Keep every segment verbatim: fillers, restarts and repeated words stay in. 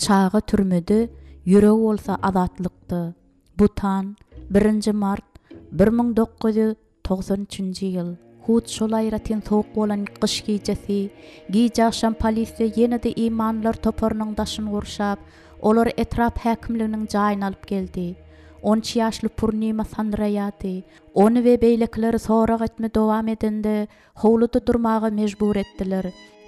Çaga türmede, ýüregi bolsa azatlykda. Butan, birinji mart, bir müň dokuz ýüz togsan üçünji ýyl. Hut şol aýratyn sowuk bolan gyş gijesi, gije agşam polisiýa ýene-de imanlylar toparynyň daşyny gurşap, olary etrap häkimliginiň jaýyna alyp geldi. On üç ýaşly Purnima sandyraýardy. Ony we beýlekileri sorag etme dowam edende, howluda durmaga mejbur etdiler.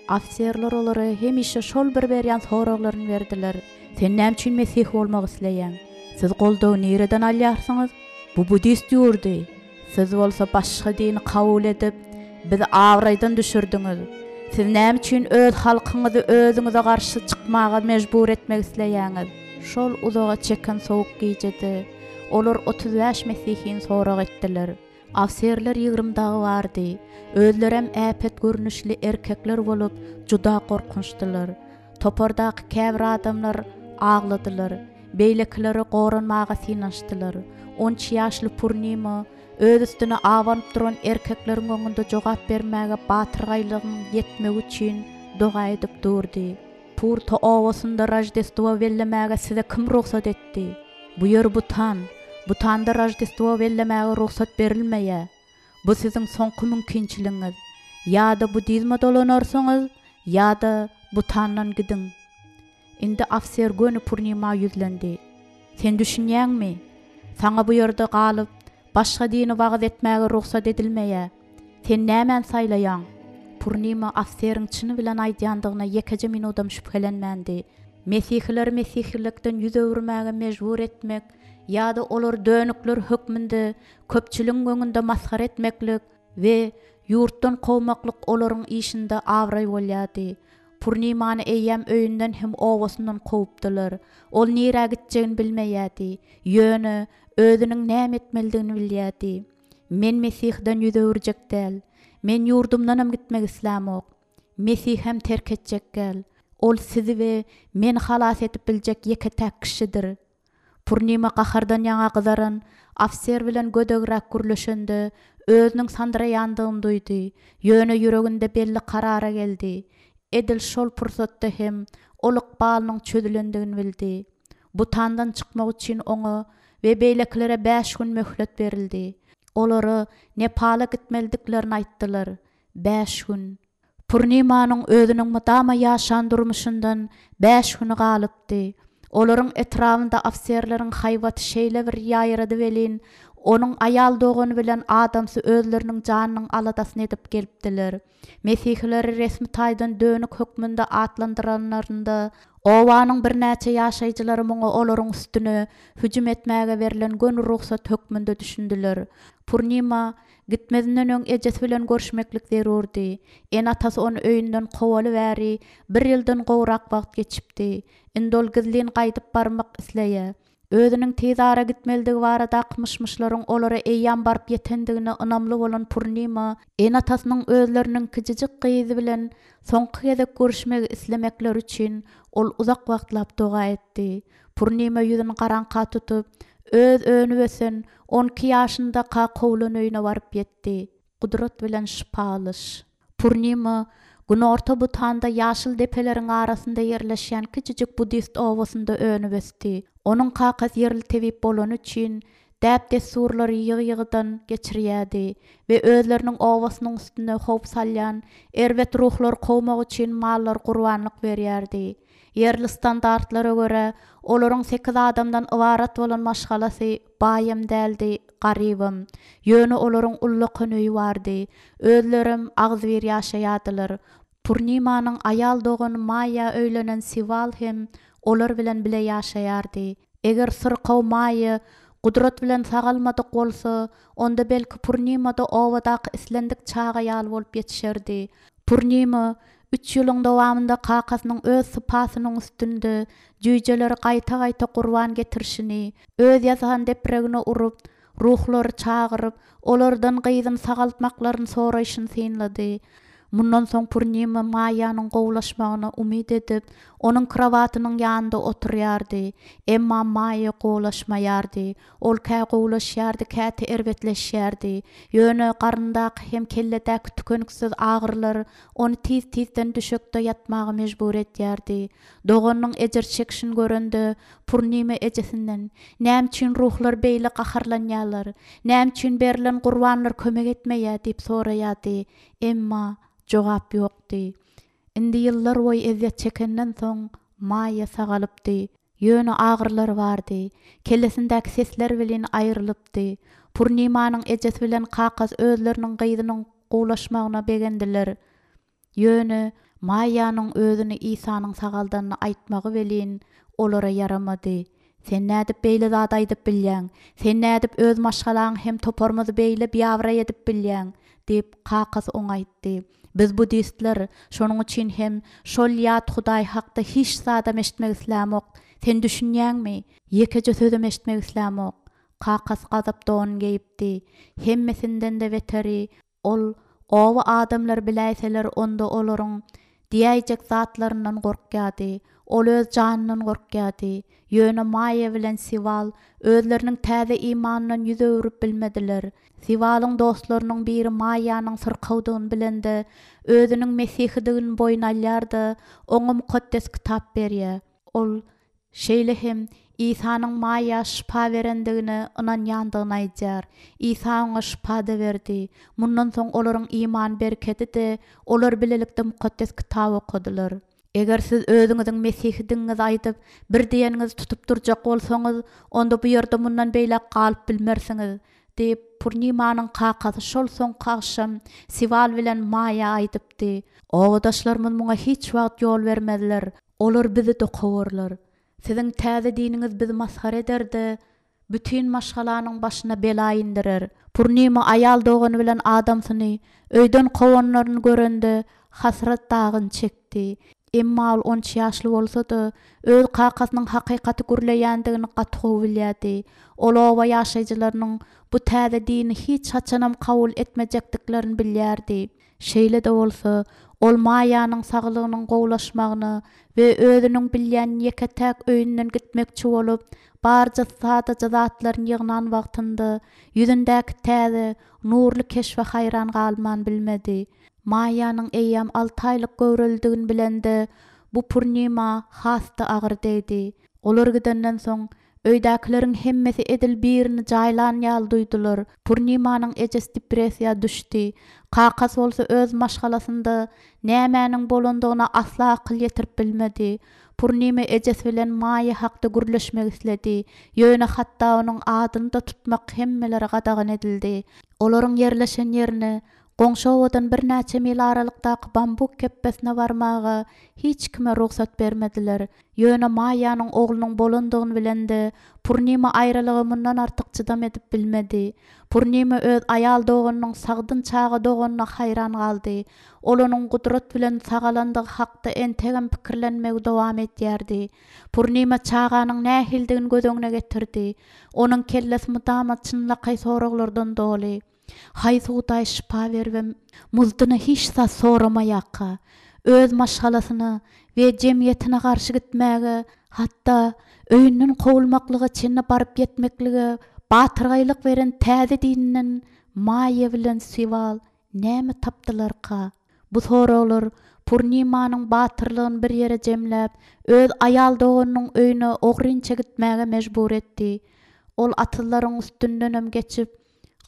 Ofiserler olara hemişe şol bir berýän soraglaryny berdiler. Sen näme üçin mesih bolmak isleýäň? Siz goldawy nireden alýarsyňyz? Bu buddist ýurdy. Siz bolsa başga dini kabul edip, bizi abraýdan düşürdiňiz. Siz näme üçin öz halkyňyzy özüňize garşy çykmaga mejbur etmek isleýäňiz? Şol uzaga çeken sowuk gijede olar otuz bäş mesihini sorag etdiler. Ofiserler ýigrimi dagy bardy. Özlerem äpet görnüşli erkekler bolup, juda gorkunçdylar. Topardaky käbir adamlar agladylar, beýlekileri goranmaga synanyşdylar. On üç ýaşly Purnima öz üstüne abanyp duran erkekleriň öňünde jogap bermäge batyrgaýlygyň ýetmegi üçin doga edip durdy. Purta obasynda Rojdestvo bellemäge size kim rugsat etdi? Bu ýer Butan. Butanda Rojdestvo bellemäge rugsat berilmeýär. Bu siziň soňky mümkinçiligiňiz. Ýa-da budizme dolanarsyňyz, ýa-da Butandan gidiň. Indi ofiser göni Purnima ýüzlendi. Sen düşünýäňmi? Saňa bu ýerde galyp, başga dini wagyz etmäge rugsat edilmeýär. Sen nämäni saýlaýaň? Purnima ofiseriň çyny bilen aýdýandygyna ýekeje minudam şübhelenmändi. Mesihileri mesihilikden ýüz öwürmäge mejbur etmek ýa-da olar dönükler hökmünde köpçüligiň öňünde masgara etmeklik we ýurtdan kowmaklyk olaryň işinde abraý bolýardy. Purnimany eýýäm öýünden hem obasyndan kowupdylar. Ol nirä gitjegini bilmeýärdi. Ýöne özüniň näme etmelidigini bilýärdi. Men Mesihden ýüz öwürjek däl. Men ýurdumdanam gitmek islämok. Mesih hem terk etjek gel. Ol sizi we meni halas edip biljek ýeke-täk kişidir. Purnima gahardan ýaňa gyzaran ofiser bilen gödegräk gürleşende özüniň sandyraýandygyny duýdy. Ýöne ýüreginde belli karara geldi. Edil şol pursatda hem ol ykbalynyň çözülendigini bildi. Butandan çykmak üçin oňa we beýlekilere bäş gün möhlet berildi. Olara Nepala gitmelidiklerini aýtdylar. Bäş gün. Purnimanyň özüniň mydama ýaşan durmuşyndan bäş güni galypdy. Olaryň etrabynda ofiserleriň haýbaty şeýle bir ýaýrady welin, onuň aýal dogany bilen adamsy özleriniň janynyň aladasyny edip gelipdiler. Mesihileri resmi taýdan dönük hökmünde atlandyranlarynda, obanyň birnäçe ýaşaýjylary muňa olaryň üstüne hüjüm etmäge berlen göni rugsat hökmünde düşündiler. Purnima gitmezinden öň ejesi bilen görüşmeklik zerurdy. Ene-atasy ony öýünden kowaly bäri bir ýyldan gowrak wagt geçipdi. Indi ol gizlin gaýdyp barmak isleýär. Özüniň tez ara gitmelidigi baradaky myş-myşlaryň olara eýýäm baryp ýetendigine ynamly bolan Purnima, ene-atasynyň özleriniň kiçijik gyzy bilen soňky gezek görüşmegi islemekleri üçin ol uzak wagtlap doga etdi. Purnima ýüzüni garaňka tutup, öz önüp ösen on iki ýaşyndaka kowlan öýüne baryp ýetdi. Gudrat bilen şypa alyş. Purnima Günorta Butanda ýaşyl depeleriň arasynda ýerleşýän kiçijik buddist obasynda önüp ösdi. Onuň kakasy ýerli tebip bolany üçin däp-dessurlary ýygy-ýygydan geçirýärdi we özleriniň obasynyň üstünde howp salýan erbet ruhlar kowmak üçin mallar gurbanlyk berýärdi. Ýerli standartlara görä, olaryň sekiz adamdan ybarat bolan maşgalasy baýam däldi, garybam. Ýöne olaryň ullakan öýi bardy. Özlerem agzybir ýaşaýardylar. Purnimanyň aýal dogany Maýa öýlenen Siwal hem olar bilen bile ýaşaýardy. Eger syrkaw Maýa gudrat bilen sagalmadyk bolsa, onda belki Purnimada obadaky islendik çaga ýaly bolup ýetişerdi. Purnima üç ýylyň dowamynda kakasynyň öz sypasynyň üstünde jüýjeleri gaýta-gaýta gurban getirişini, öz ýasan depregine urup, ruhlary çagyryp, olardan gyzyny sagaltmaklaryny soraýşyny synlady. Mundan soň Purnima Maýanyň gowulaşmagyna umyt edip, onuň krowatynyň ýanynda oturýardy. Emma Maýa gowulaşmaýardy. Ol kä gowulaşýardy, käte erbetleşýärdi. Ýöne garyndaky hem kelledäki tükeniksiz agyrylar ony tiz-tizden düşekde ýatmaga mejbur edýärdi. Doganynyň ejir çekişini görende Purnima ejesinden "Näme üçin ruhlar beýle gaharlanýarlar? Näme üçin berlen gurbanlar kömek etmeýär?" diýip soraýardy. Emma jogap ýokdy. Indi ýyllar boýy ezýet çekenden soň Maýa sagalypdy. Ýöne agyrylar bardy. Kellesindäki sesler bilen aýrylypdy. Purnimanyň ejesi bilen kakasy özleriniň gyzynyň gowulaşmagyna begendiler. Ýöne Maýanyň özüni Isanyň sagaldanyny aýtmagy welin olara ýaramady. Sen nädip beýle zat aýdyp bilýäň? Sen nädip öz maşgalaň hem toparymyzy beýle biabraý edip bilýäň? diýip kakasy oňa aýtdy. Biz budistler, şonuň üçin hem şol ýat Hudaý hakda hiç zadam eşitmek islämok. Sen düşünýäňmi? Ýekeje sözüm eşitmek islämok. Kakasy gazap don geýipdi. Hemmesinden-de beteri ol oba adamlar biläýseler onda olaryň diýäýjek zatlaryndan gorkýardy. Ol öz janyndan gorkýardy. Ýöne Maýa bilen Siwal özleriniň täze imanyndan ýüz öwrüp bilmediler. Siwalyň dostlarynyň biri Maýanyň syrkawdygyny bilende özüniň mesihidigini boýun alýar-da, oňa mukaddes kitap berýär. Ol şeýle hem Isanyň Maýa şypa berendigine ynanýandygyny aýdýar. Isa oňa şypa-da berdi. Mundan soň olaryň imany berkedi-de, olar bilelikde mukaddes kitap okadylar. Eger siz özüňiziň mesihidigiňizi aýdyp, bir diýeniňizi tutup durjak bolsaňyz, onda bu ýerde mundan beýläk galyp bilmersiňiz, diýip Purnimanyň kakasy şol soňky agşam Siwal bilen Maýa aýdypdy. Obadaşlarymyz muňa hiç wagt ýol bermezler. Olar bizi dokawarlar. Siziň täze diniňiz bizi masgara eder-de, bütin maşgalanyň başyna bela indirer. Purnima aýal dogany bilen adamsyny öýden kowanlaryny görende hasrat dagyny çekdi. Emma ol on üç ýaşly bolsa-da, öz kakasynyň hakykaty gürleýändigini gaty gowy bilýärdi. Ol oba ýaşaýjylarynyň bu täze dini hiç haçanam kabul etmejekdiklerini bilýärdi. Şeýle-de bolsa, ol Maýanyň saglygynyň gowulaşmagyna we özüniň bilýän ýeke-täk öýünden gitmekçi bolup, barja sadaja zatlaryny ýygnan wagtynda ýüzündäki täze, nurly keşbe haýran galman bilmedi. Maýanyň eýýäm alty aýlyk göwrelidigini bilende bu Purnima has-da agyr degdi. Olar gidenden soň öýdäkileriň hemmesi edil birini jaýlan ýaly duýdular. Purnimanyň ejesi depressiýa düşdi. Kakasy bolsa öz maşgalasynda nämäniň bolandygyna asla akyl ýetirip bilmedi. Purnima ejesi bilen Maýa hakda gürleşmek isledi. Ýöne hatda onuň adyny da tutmak hemmelere gadagan edildi. Olaryň ýerleşen ýerine goňşy obadan birnäçe mil aralykdaky bambuk kepbesine barmaga hiç kime rugsat bermediler. Ýöne Maýanyň oglunyň bolandygyny bilende Purnima aýralyga mundan artyk çydam edip bilmedi. Purnima öz aýal doganynyň sagdyn çaga doganyna haýran galdy. Ol onuň gudrat bilen sagalandygy hakda entegem pikirlenmegi dowam edýärdi. Purnima çaganyň nähilidigini göz öňüne getirdi. Onuň kellesi mydama çynlakaý soraglardan doly. Haýsy Hudaý şypa beribem, muzdyna hiç zat soramaýarka, öz maşgalasyna we jemgyýetine garşy gitmäge, hatda öýünden kowulmaklyga çenli baryp ýetmeklige batyrgaýlyk beren täze dininden Maýa bilen Siwal näme tapdylarka? Bu soraglar Purnimanyň batyrlygyny bir ýere jemläp, öz aýal doganynyň öýüne ogrynça gitmäge mejbur etdi. Ol atyzlaryň üstündenem geçip,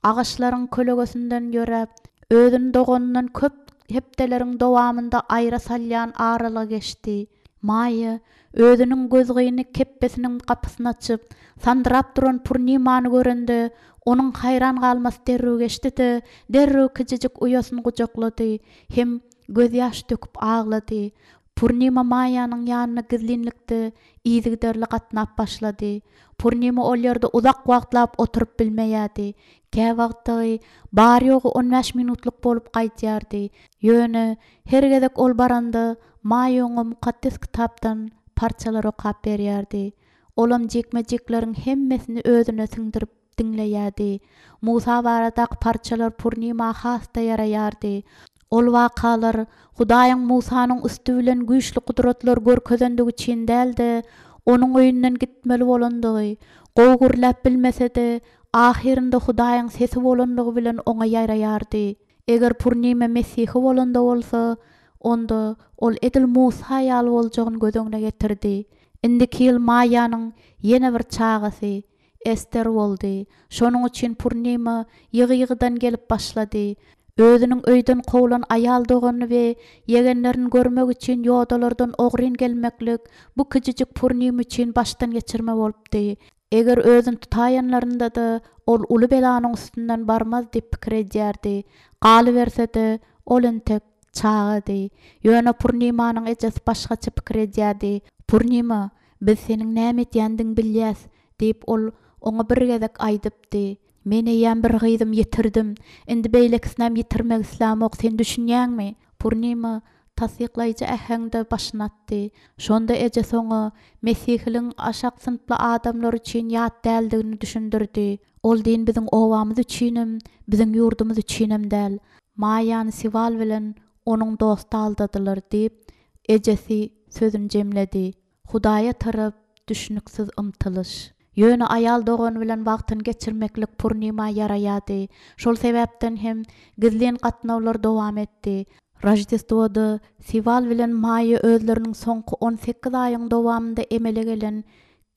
agaçlaryň kölegesinden ýöräp, özüni doganyndan köp hepdeleriň dowamynda aýra salýan aralygy geçdi. Maýa özüniň gözgyny kepbesiniň gapysyny açyp, sandyrap duran Purnimany görende, onuň haýran galmasy derrew geçdi-de, derrew kiçijik uýasyny gujaklady hem gözýaş döküp aglady. Purnima Maýanyň ýanyna gizlinlikde yzygiderli gatnap başlady. Purnima ol ýerde uzak wagtlap oturyp bilmeýärdi. Käwagtdagy bar-ýogy on bäş minutlyk bolup gaýdýardy. Ýöne her gezek ol baranda Maýa oňa mukaddes kitapdan parçalar okap berýärdi. Olam jikme-jikleriň hemmesini özüne siňdirip diňleýärdi. Musa baradaky parçalar Purnima has-da ýaraýardy. Ol wakalar Hudaýyň Musanyň üsti bilen güýçli gudratlar görkezendigi üçin däl-de, onuň öýünden gitmeli bolandygy, gowy gürläp bilmese-de, ahyrynda Hudaýyň sesi bolandygy bilen oňa ýaraýardy. Eger Purnima Mesihi bolanda bolsa, onda ol edil Musa ýaly boljagyny göz öňüne getirdi. Indiki ýyl Maýanyň ýene bir çagasy Ester boldy. Şonuň üçin Purnima ýygy-ýygydan gelip başlady. Özüniň öýden kowlan aýal doganyny we ýegenlerini görmek üçin ýodalardan ogryn gelmeklik bu kiçijik Purnima üçin başdan geçirme bolupdy. Eger özüni tutaýanlarynda-da ol uly belanyň üstünden barmaz diýip pikir edýärdi. Galyberse-de ol entek çagady. Ýöne Purnimanyň ejesi başgaça pikir edýärdi. Purnima, biz seniň näme etýändigiňi bilýäs diýip ol oňa bir gezek aýdypdy. Men eýýäm bir gyzym ýitirdim. Indi beýlekisinem ýitirmek islämok, sen düşünýäňmi? Purnima tassyklaýjy äheňde başyny atdy. Şonda ejesi oňa Mesihiligiň aşak synply adamlar üçin ýat däldigini düşündirdi. Ol din biziň obamyz üçinem, biziň ýurdumyz üçinem däl. Maýany Siwal bilen onuň dosty aldadylar diýip, ejesi sözüni jemledi. Hudaýa tarap düşüniksiz ymtylyş. Ýöne aýal dogany bilen wagtyny geçirmeklik Purnima ýaraýardy. Şol sebäpden hem gizlin gatnawlar dowam etdi. Roždestwoda Siwal bilen Maýa özleriniň soňky on sekiz aýyň dowamynda emele gelen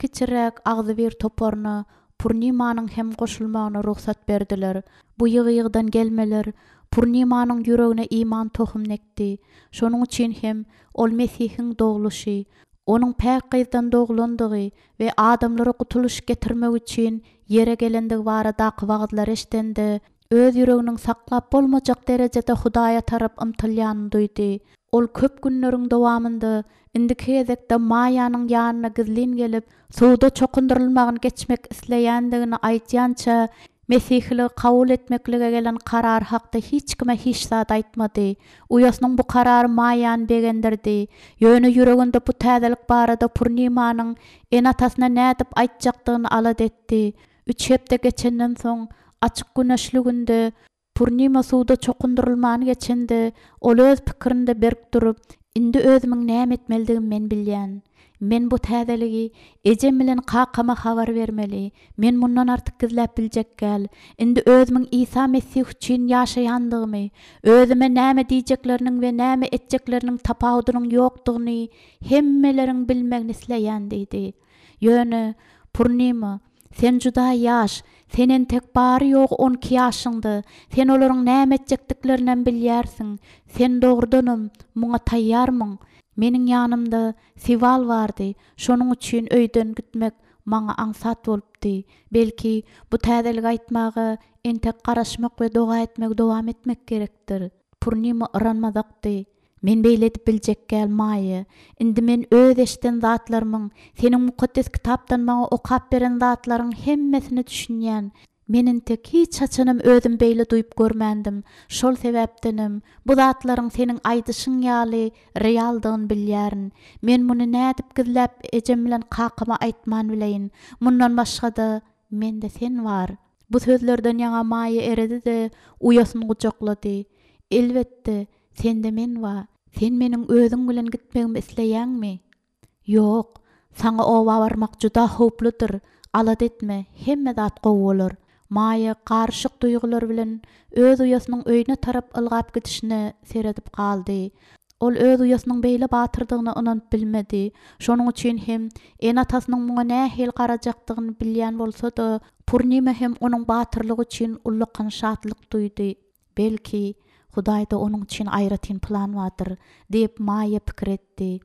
kiçiräk agzybir toparyna Purnimanyň hem goşulmagyna rugsat berdiler. Bu ýygy-ýygydan gelmeler Purnimanyň ýüregine iman tohumyny ekdi. Şonuň üçin hem ol Mesihiň dogluşy, onuň päk gyzdan doglandygy we adamlara gutulyş getirmek üçin ýere gelendigi baradaky wagyzlar eşdende, öz ýüreginiň saklap bolmajak derejede Hudaýa tarap ymtylýanyny duýdy. Ol köp günleriň dowamynda indiki gezekde Maýanyň ýanyna gizlin gelip, suwda çokundyrylmagyny geçmek isleýändigini aýdýança, Mesihiligi kabul etmeklige gelen karar hakda hiç kime hiç zat aýtmady. Uýasynyň bu karary Maýany begendirdi. Ýöne ýüreginde bu täzelik barada Purnimanyň ene-atasyna nädip aýtjakdygyny alada etdi. Üç hepde geçenden soň açyk güneşli günde Purnima suwda çokundyrylmany geçende, ol öz pikirinde berk durup, indi özümiň näme etmelidigimi men bilýän. Men bu täzeligi ejem bilen kakama habar bermeli. Men mundan artyk gizläp biljek gel. Indi özümiň Isa Mesih üçin ýaşaýandygymy, özüme näme diýjekleriniň we näme etjekleriniň tapawudynyň ýokdugyny hemmeleriň bilmegini isleýän diýdi. Ýöne Purnima, sen juda ýaş, sen entek bary ýogy on iki ýaşyňda, sen olaryň näme etjekdiklerinem bilýärsiň. Sen dogrudanam muňa taýýarmyň? Meniň ýanymda Siwal bardy, şonuň üçin öýden gitmek maňa aňsat bolupdy. Belki bu täzeligi aýtmaga entek garaşmak we doga etmegi dowam etmek gerekdir. Purnima yranmazakdy. Men beýle edip biljek gel Maýa. Indi men öz eşden zatlarymyň, seniň mukaddes kitapdan maňa okap beren zatlaryň hemmesini düşünýän. Men entek hiç haçanam özüm beýle duýup görmändim. Şol sebäpdenem bu zatlaryň seniň aýdyşyň ýaly realdygyny bilýärin. Men muny nädip gizläp ejem bilen kakama aýtman bileýin. Mundan başga-da mende sen bar. Bu sözlerden ýaňa Maýa eredi-de uýasyny gujaklady. Elbetde, sende men bar. Sen meniň özüň bilen gitmegimi isleýäňmi? Ýok, saňa oba barmak juda howpludyr. Alada etme, hemme zat gowy bolar. Maýa garyşyk duýgular bilen öz uýasynyň öýüne tarap ylgap gidişine seredip galdy. Ol öz uýasynyň beýle batyrdygyna ynanyp bilmedi. Şonuň üçin hem ene-atasynyň muňa nähili garajakdygyny bilýän bolsa-da, Purnima hem onuň batyrlygy üçin ullakan şatlyk duýdy. Belki Hudaýda onuň üçin aýratyn plan bardyr diýip Maýa pikir etdi.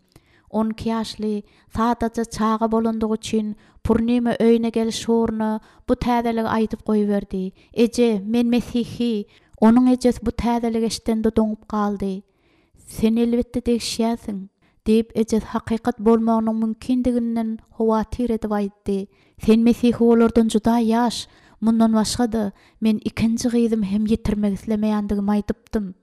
On iki ýaşly sadaja çaga bolandygy üçin Purnima öýüne geliş ugruna bu täzeligi aýdyp goýberdi. Eje, men Mesihi. Onuň ejesi bu täzeligi eşidende doňup galdy. Sen elbetde degişýärsiň, diýip ejesi hakykat bolmagynyň mümkindiginden howatyr edip aýtdy. Sen Mesihi olardan juda ýaş. Mundan başga-da men ikinji gyzym hem ýitirmek islemeýändigimi aýdypdym.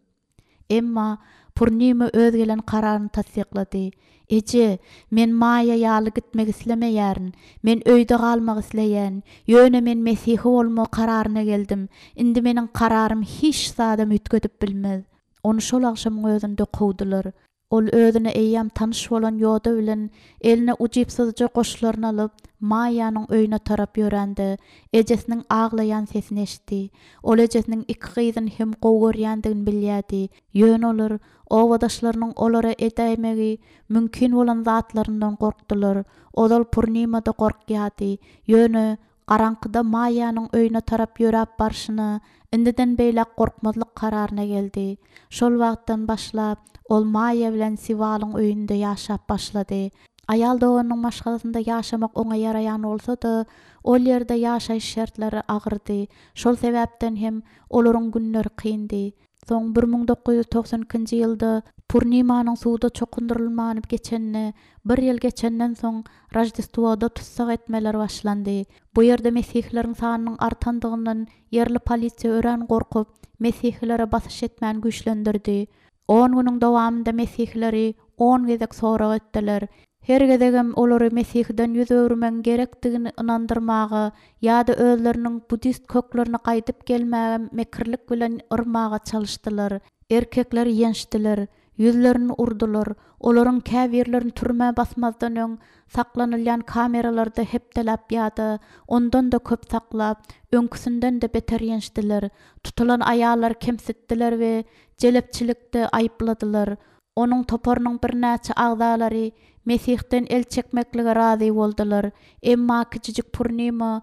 Emma Purnima öz gelen kararyny tassyklady. Eje, men Maýa ýaly gitmek islemeýärin. Men öýde galmak isleýän. Ýöne men Mesihi bolma kararyna geldim. Indi meniň kararym hiç zadam üýtgedip bilmez. Ony şol agşamyň özünde kowdular. Ol özüne eýýäm tanyş bolan ýoda bilen eline ujypsyzja goşlaryny alyp, Maýanyň öýüne tarap ýörände, ejesiniň aglaýan sesini eşitdi. Ol ejesiniň iki gyzyny hem gowy görýändigini bilýärdi. Ýöne olar obadaşlarynyň olara edäýmegi mümkin bolan zatlaryndan gorkdular. Ozal Purnima-da gorkýardy. Ýöne garaňkyda Maýanyň öýüne tarap ýöräp barşyna indiden beýläk gorkmazlyk kararyna geldi. Şol wagtdan başlap ol Maýa bilen Siwalyň öýünde ýaşap başlady. Aýal doganynyň maşgalasynda ýaşamak oňa ýaraýan bolsa-da, ol ýerde ýaşaýyş şertleri agyrdy. Şol sebäpden hem olaryň günleri kyndy. Soň bir müň dokuz ýüz togsan ikinji ýylda Purnimanyň suwda çokundyrylmany geçenine bir ýyl geçenden soň Roždestwoda tussag etmeler başlandy. Bu ýerde mesihleriň sanynyň artandygyndan ýerli polisiýa örän gorkup, mesihlere basyş etmän güýçlendirdi. On günüň dowamynda mesihleri on gezek sorag etdiler. Her gezegem olary mesihden ýüz öwürmegiň gerekdigini ynandyrmaga ýa-da özleriniň budist köklerine gaýdyp gelmäge mekirlik bilen yrmaga çalyşdylar. Erkekler ýençdiler, ýüzlerini urdular. Olaryň käbirlerini türmä basmazdan öň saklanylýan kameralarda hepdeläp ýa-da ondan-da köp saklap, öňküsinden-de beter ýençdiler. Tutulan aýallar kemsitdiler we jelepçilikde aýypladylar. Onuň toparynyň birnäçe agzalary Mesihden el çekmeklige razy boldular. Emma kiçijik Purnima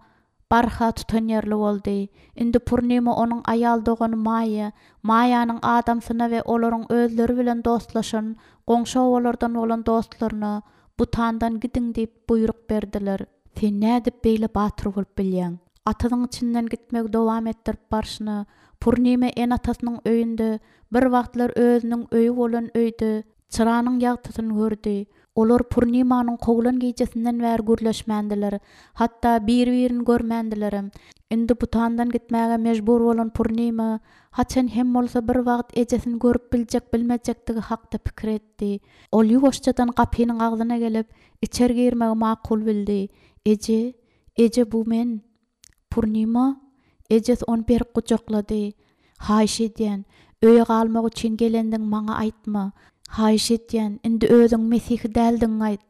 barha tutanýerli boldy. Indi Purnima onuň aýal dogany Maýa, Maýanyň adamsyna we olaryň özleri bilen dostlaşan goňşy obalardan bolan dostlaryna Butandan gidiň diýip buýruk berdiler. Sen nädip beýle batyr bolup bilýäň? Atyzyň içinden gitmegi dowam etdirip barşyna Purnima ene-atasynyň öýünde bir wagtlar özüniň öýi bolan öýde çyranyň ýagtysyny gördi. Olar Purnimanyň kowlan gijesinden bäri gürleşmändiler. Hatda bir-birini görmändilerem. Indi Butandan gitmäge mejbur bolan Purnima haçan hem bolsa bir wagt ejesini görüp biljek bilmejekdigi hakda pikir etdi. Ol ýuwaşjadan gapynyň agzyna gelip, içeri girmegi makul bildi. Eje, eje bu men. Purnima, ejesi ony berk gujaklady. Haýyş edýän, öýe galmak üçin gelendiň maňa aýtma. Haýyş edýän, indi özüň mesihi däldiň aýt.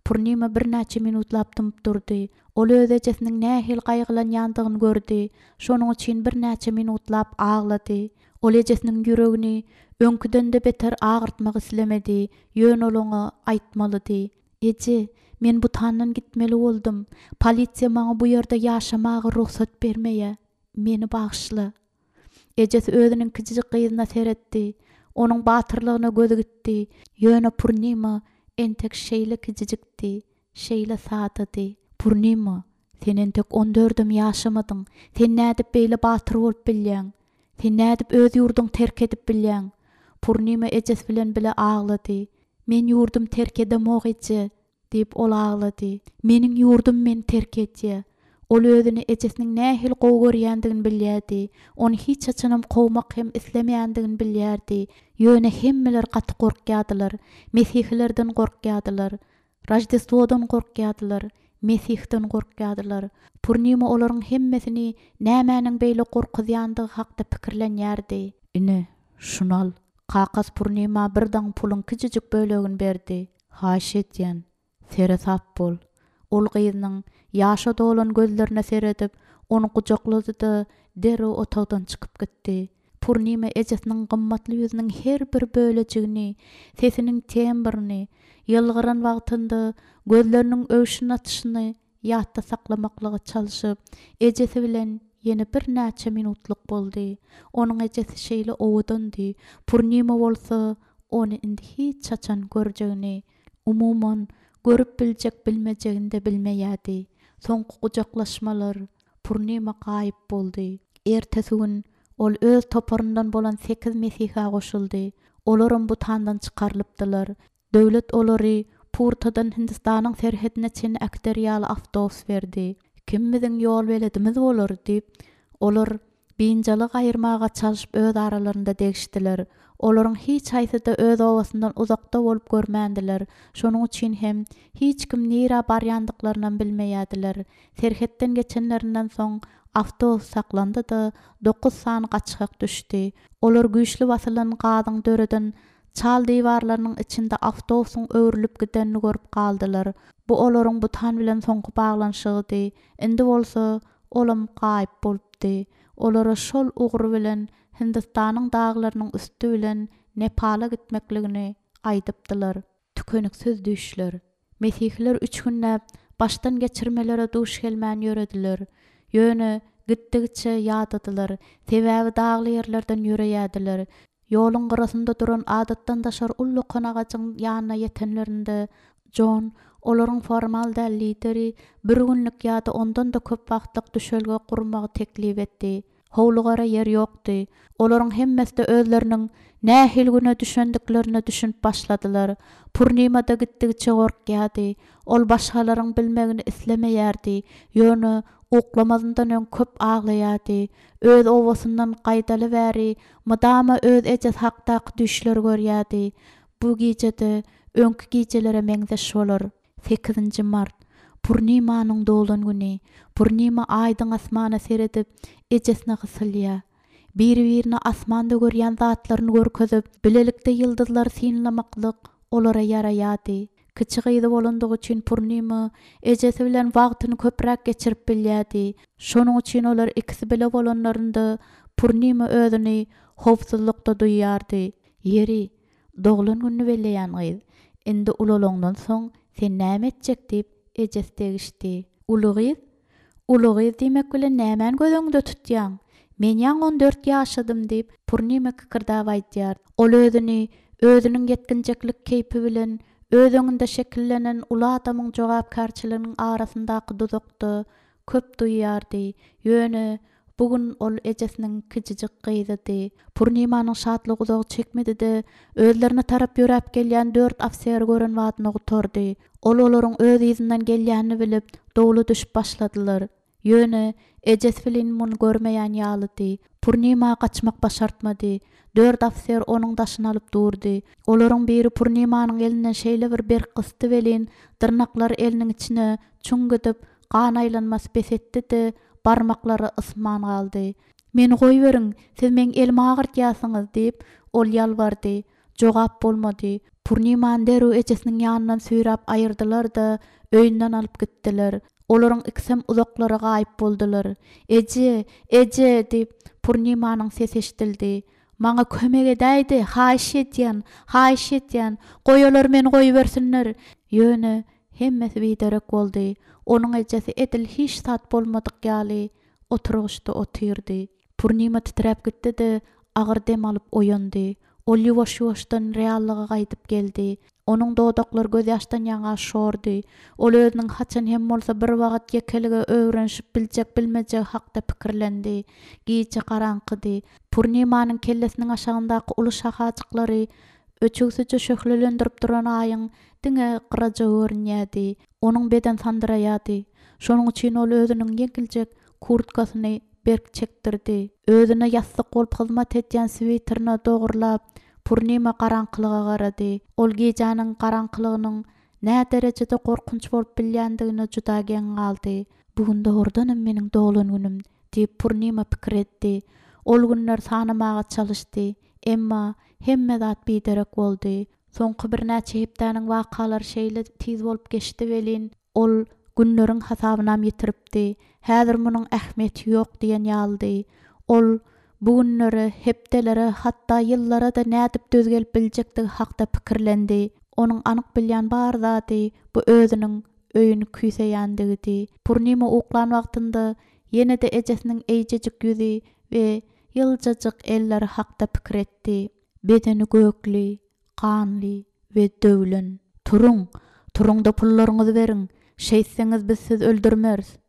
Purnima birnäçe minutlap dymyp durdy. Ol öz ejesiniň nähili gaýgylanýandygyny gördi. Şonuň üçin birnäçe minutlap aglady. Ol ejesiniň ýüregini öňküden-de beter agyrtmak islemedi. Ýöne ol oňa aýtmalydy. Eje, men Butandan gitmeli boldum. Polisiýa maňa bu ýerde ýaşamaga rugsat bermeýär. Meni bagyşla. Ejesi özüniň kiçijik gyzyna seretdi. Onuň batyrlygyna gözi gitdi. Ýöne Purnima entek şeýle kiçijikdi, şeýle sadady. Purnima, sen entek on dördem ýaşamadyň. Sen nädip beýle batyr bolup bilýäň? Sen nädip öz ýurduň terk edip bilýäň? Purnima ejesi bilen bile aglady. Men ýurdum terk edemok eje, diýip ol aglady. Meniň ýurdum meni terk edýär. Ol özüni ejesiniň nähili gowy görýändigini bilýärdi. Ony hiç haçanam kowmak hem islemeýändigini bilýärdi. Ýöne hemmeler gaty gorkýardylar. Mesihilerden gorkýardylar. Roždestwodan gorkýardylar. Mesihden gorkýardylar. Purnima olaryň hemmesini nämäniň beýle gorkuzýandygy hakda pikirlenýärdi. Ine, şuny al. Kakas Purnima bir daň puluň kiçijik bölegini berdi. Haýyş edýän, seresap bol. Ol gyzynyň ýaşa dolan gözlerine seredip, ony gujaklady-da derrew otagdan çykyp gitdi. Purnima ejesiniň gymmatly ýüzüniň her bir bölejigini, sesiniň tembrini, ýylgyran wagtynda gözleriniň öwşün atyşyny ýatda saklamaklyga çalşyp, ejesi bilen ýene birnäçe minutlyk boldy. Onuň ejesi şeýle owadandy. Purnima bolsa ony indi hiç haçan görjegini, umuman görüp biljek bilmejegini de bilmeýärdi. Soňky gujaklaşmalar Purnima gaýyp boldy. Ertesi gün ol öz toparyndan bolan sekiz mesihe goşuldy. Olaram Butandan çykarylypdylar. Döwlet olary Purtadan Hindistanyň serhedine çenli äkider ýaly awtobus berdi. Kim biziň ýol beledimiz bolar diýip, olar binjalyk aýyrmaga çalşyp öz aralarynda degişdiler. Olaryň hiç haýsy-da öz obasyndan uzakda bolup görmändiler. Şonuň üçin hem hiç kim nirä barýandyklarynam bilmeýärdiler. Serhetden geçenlerinden soň Awtobus saklandy-da, dokuz sany gaçgak düşdi. Olar güýçli basylan gazyň döreden çal diwarlarynyň içinde awtobusyň öwrülip gidenini görüp galdylar. Bu olaryň Butan bilen soňky baglanyşygydy. Indi bolsa olam gaýyp bolupdy. Olara şol ugur bilen Hindistanyň daglarynyň üsti bilen Nepala gitmekligini aýdypdylar. Tükeniksiz düýşler. Mesihiler üç günläp başdan geçirmelere duş gelmän ýörediler. Ýöne gitdigiçe ýadadylar. Sebäbi dagly ýerlerden ýöreýärdiler. Ýoluň gyrasynda duran adatdan daşary ullakan agajyň ýanyna ýetenlerinde Jon, olaryň formal däl lideri, bir günlük ýa-da ondan-da köp wagtlyk düşelge gurmagy teklip etdi. Howlugara ýer ýokdy. Olaryň hemmesi-de özleriniň nähili güne düşendiklerine düşünip başladylar. Purnima-da gitdigiçe gorkýardy. Ol başgalaryň bilmegini islemeýärdi. Ýöne uklamazyndan öň köp aglaýardy. Öz obasyndan gaýdaly bäri mydama öz ejesi hakdaky düýşleri görýärdi. Bu gije-de öňki gijelere meňzeş bolar. Sekizinji mart. Purnimanyň doglan güni. Purnima aýdyň asmana seredip, ejesine gysylýar. Biri-birine asmanda görýän zatlaryny görkezip, bilelikde ýyldyzlary synlamaklyk olara ýaraýardy. Kiçi gyzy bolandygy üçin Purnima ejesi bilen wagtyny köpräk geçirip bilýärdi. Şonuň üçin olar ikisi bile bolanlarynda Purnima özüni howpsuzlykda duýýardy. Ýeri, doglan gününi belleýän gyz, indi ulalaňdan soň sen näme etjek diýip ejesi degişdi. Uly gyz? Uly gyz diýmek bilen nämäni göz öňünde tutýaň? Men ýaňy on dört ýaşadym diýip Purnima kikirdäp aýdýar. Ol özüni özüniň ýetginjeklik keýpi bilen öz öňünde şekillenen uly adamyň jogapkärçiliginiň arasyndaky duzakda köp duýýardy. Ýöne bu gün ol ejesiniň kiçijik gyzydy. Purnimanyň şatlygy uzagy çekmedi-de, özlerine tarap ýöräp gelýän dört ofiseri gören badyna gutardy. Ol olaryň öz yzyndan gelýänini bilip, dowla düşüp başladylar. Ýöne ejesi bilen muny görmeýän ýalydy. Purnima gaçmak başartmady. Dört ofiser onuň daşyny alyp durdy. Olaryň biri Purnimanyň elinden şeýle bir berk gysdy welin, dyrnaklary eliniň içine çuň gidip, gan aýlanmasy bes etdi-de, barmaklary ysman galdy. Meni goýberiň, siz meň elimi agyrtýarsyňyz diýip, ol ýalbardy. Jogap bolmady. Purnimany derrew ejesiniň ýanyndan süýräp aýyrdylar-da, öýünden alyp gitdiler. Olaryň ikisem uzaklara gaýyp boldular. Eje, eje diýip, Purnimanyň sesi eşidildi. Maňa kömek edäýdi, haýyş edýän, haýyş edýän, goý olar meni goýbersinler. Ýöne hemmesi biderek boldy. Onuň ejesi edil hiç zat bolmadyk ýaly oturgyçda otyrdy. Purnima titräp gitdi-de, agyr dem alyp oýandy. Ol ýuwaş-ýuwaşdan reallyga gaýdyp geldi. Onuň dodaklary gözýaşdan ýaňa şordy. Ol özüniň haçan hem bolsa bir wagt ýekelige öwrenişip biljek bilmejegi hakda pikirlendi. Gije garaňkydy. Purnimanyň kellesiniň aşagyndaky uly şahajyklary öçügsije şöhlelendirip duran aýyň diňe gyraja görünýärdi. Onuň beden sandyraýardy. Şonuň üçin ol özüniň ýeňiljek kurtkasyny berk çekdirdi. Özüne ýassyk bolup hyzmat edýän switerine dogurlap, Purnima garaňkylyga garady. Ol gijäniň garaňkylygynyň nä derejede gorkunç bolup bilýändigine juda geň galdy. Bu gün dogrudanam meniň doglan günüm diýip Purnima pikir etdi. Ol günler sanamaga çalyşdy. Emma hemme zat biderek boldy. Soňky birnäçe hepdäniň wakalary şeýle tiz bolup geçdi welin, ol günleriň hasabynam ýitiripdi. Häzir munuň ähmiýeti ýok diýen ýalydy. Ol bu günlere, hepdelere, hatda ýyllara-da nädip döz gelip biljekdigi hakda pikirlendi. Onuň anyk bilýän bar zady bu özüniň öýüni küýseýändigidi. Purnima uklan wagtynda ýene-de ejesiniň eýjejik ýüzi we ýyljajyk elleri hakda pikir etdi. Bedeni gökli, ganly we döwlen. Turuň, turuň-da pullaryňyzy beriň, şeýtseňiz biz sizi öldürmeris.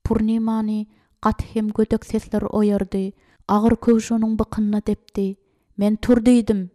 Purnimany gaty hem gödek sesler oýardy. Agyr köwüş onuň bykynyna depdi. Men tur diýdim.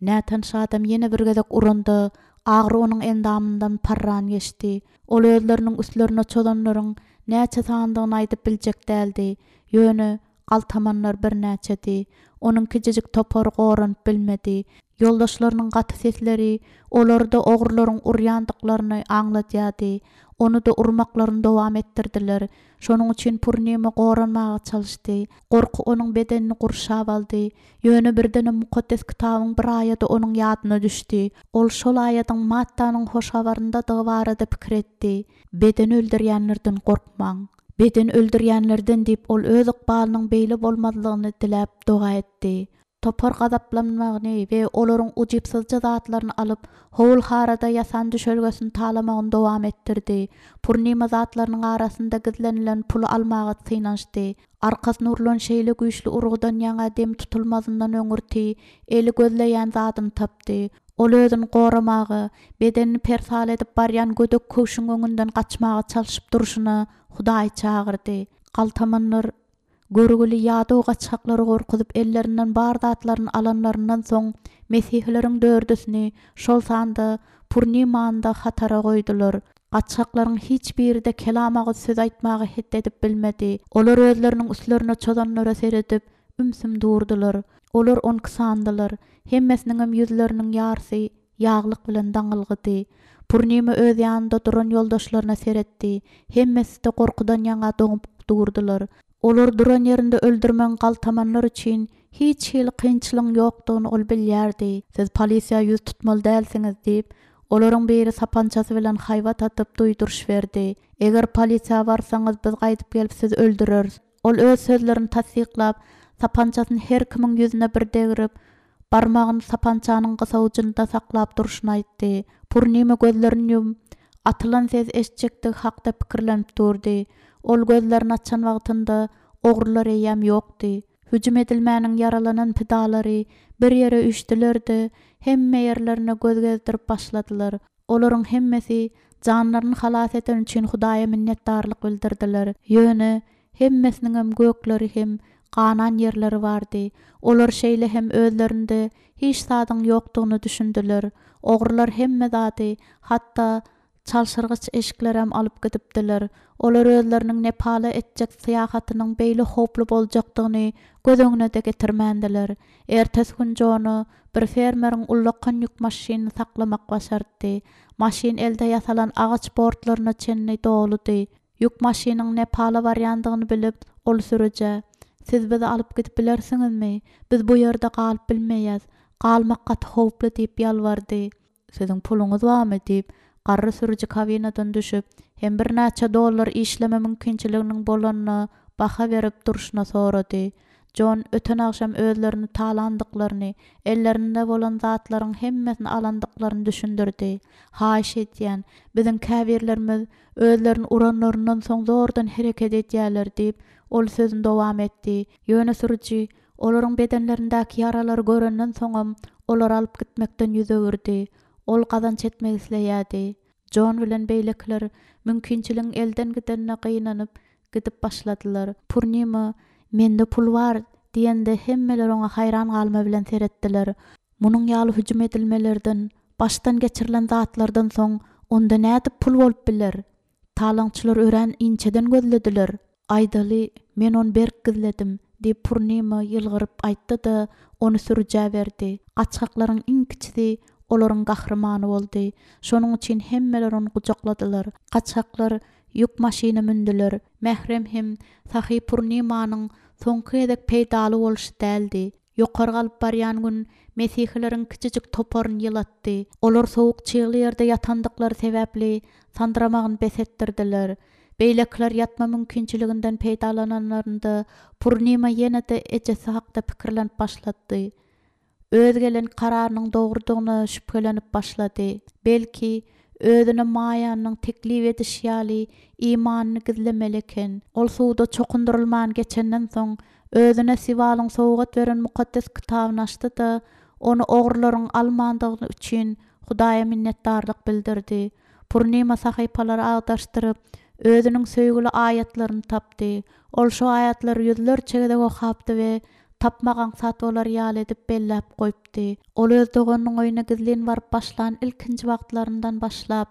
Nätanyş adam ýene bir gezek uranda, agyr onuň endamyndan parran geçdi. Ol özleriniň üstlerine çozanlaryň näçe sandygyny aýdyp biljek däldi. Ýöne galtamanlar birnäçedi. Onuň kiçijik topary goranyp bilmedi. Ýoldaşlarynyň gaty sesleri olary-da ogrularyň urýandyklaryny aňladýardy. Ony-da urmaklaryny dowam etdirdiler. Şonuň üçin Purnima goranmaga çalyşdy. Gorky onuň bedenini gurşap aldy. Ýöne birdenem Mukaddes Kitabyň bir aýady onuň ýadyna düşdi. Ol şol aýadyň Mattanyň Hoş Habaryndadygy barada pikir etdi. Bedeni öldürýänlerden gorkmaň. Bedeni öldürýänlerden diýip, ol öz ykbalynyň beýle bolmazlygyny diläp doga etdi. Topar gazaplanmagyny we olaryň ujypsyzja zatlaryny alyp, howul-harada ýasan düşelgesini talamagyny dowam etdirdi. Purnima zatlarynyň arasynda gizlenilen puly almaga synanyşdy. Arkasyna urlan şeýle güýçli urgudan ýaňa dem tutulmazyndan öňürti eli gözleýän zadyny tapdy. Ol özüni goramaga, bedenini persal edip barýan gödek köwşüň öňünden gaçmaga çalşyp durşuna Hudaýy çagyrdy. Galtamanlar görgüli ýadaw gaçgaklary gorkuzyp ellerinden bar zatlaryny alanlaryndan soň mesihileriň dördüsini, şol sanda Purnimany-da hatara goýdular. Gaçgaklaryň hiç biri-de kelam agyz söz aýtmaga het edip bilmedi. Olar özleriniň üstlerine çozanlara seredip, ümsüm durdular. Olar on iki sandylar. Hemmesiniňem ýüzleriniň ýarsy ýaglyk bilen daňylgydy. Purnima öz ýanynda duran ýoldaşlaryna seretdi. Hemmesi-de gorkudan ýaňa doňup durdular. Olar duran ýerinde öldürmegiň galtamanlar üçin hiç hili kynçylygyň ýokdugyny ol bilýärdi. Siz polisiýa ýüz tutmaly dälsiňiz diýip, olaryň biri sapançasy bilen haýbat atyp duýduryş berdi. Eger polisiýa barsaňyz, biz gaýdyp gelip sizi öldüreris. Ol öz sözlerini tassyklap, sapançasyny her kimiň ýüzüne bir degrip, barmagyny sapançanyň gysawujynda saklap durşuny aýtdy. Purnima gözlerini ýumup, atylan ses eşitjekdigi hakda pikirlenip durdy. Ol gözlerini açan wagtynda ogrular eýýäm ýokdy. Hüjüm edilmäniň ýaralanan pidalary bir ýere üýşdüler-de, hemme ýerlerine göz gezdirip başladylar. Olaryň hemmesi janlaryny halas eden üçin Hudaýa minnetdarlyk bildirdiler. Ýöne hemmesiniňem gökleri hem ganan ýerleri bardy. Olar şeýle hem özlerinde hiç zadyň ýokdugyny düşündiler. Ogrular hemme zady, hatda çalşyrgyç eşiklerem alyp gidipdiler. Olar özleriniň Nepala etjek syýahatynyň beýle howply boljakdygyny göz öňüne-de getirmändiler. Ertesi gün Jona bir fermeriň ullakan ýük maşynyny saklamak başartdy. Maşyn elde ýasalan agaç bortlaryna çenli doludy. Ýük maşynyň Nepala barýandygyny bilip, ol sürüjä, Siz bizi alyp gidip bilersiňizmi? Biz bu ýerde galyp bilmeýäs. Galmak gaty howply diýip ýalbardy. Siziň puluňyz barmy diýip, garry sürüji kabinadan düşüp, hem birnäçe dollar işleme mümkinçiliginiň bolanyna baha berip durşuna sorady. Jon öten agşam özlerini talandyklaryny, ellerinde bolan zatlaryň hemmesini alandyklaryny düşündirdi. Haýyş edýän, biziň käbirlerimiz özlerini uranlaryndan soň zordan hereket edýärler diýip, ol sözüni dowam etdi. Ýöne sürüji olaryň bedenlerindäki ýaralary görenden soňam olary alyp gitmekden ýüz öwürdi. Ol gazanç etmek isleýärdi. Jon bilen beýlekiler mümkinçiligiň elden gidenine gynanyp gidip başladylar. Purnima, mende pul bar diýende hemmeler oňa haýran galma bilen seretdiler. Munuň ýaly hüjüm edilmelerden, başdan geçirilen zatlardan soň onda nädip pul bolup biler? Talaňçylar örän inçeden gözlediler. Aýdaly, men ony berk gizledim diýip Purnima ýylgyryp aýtdy-da, ony sürüjä berdi. Gaçgaklaryň iň kiçisi olaryň gahrymany boldy. Şonuň üçin hemmeler ony gujakladylar. Gaçgaklar ýük maşyna mündüler. Mährem hem Sahy Purnimanyň soňky gezek peýdaly bolşy däldi. Ýokary galyp barýan gün mesihileriň kiçijik toparyny ýylatdy. Olar sowuk çygly ýerde ýatandyklary sebäpli sandyramagyny bes etdirdiler. Beýlekiler ýatma mümkinçiliginden peýdalananlarynda Purnima ýene-de ejesi hakda pikirlenip başlady. Öz gelen kararynyň dogrudygyna şübhelenip başlady. Belki özüne Maýanyň teklip edişi ýaly imanyny gizlemeli eken. Ol suwda çokundyrylman geçenden soň özüne Siwalyň sowgat beren mukaddes kitabyny açdy-da, ony ogrularyň almandygy üçin Hudaýa minnetdarlyk bildirdi. Purnima sahypalary agdaşdyryp, özüniň söýgüli aýatlaryny tapdy. Ol şu aýatlary ýüzlerçe gezek okapdy we tapmak aňsat bolar ýaly edip belläp goýupdy. Ol öz doganynyň öýüne gizlin baryp başlan ilkinji wagtlaryndan başlap,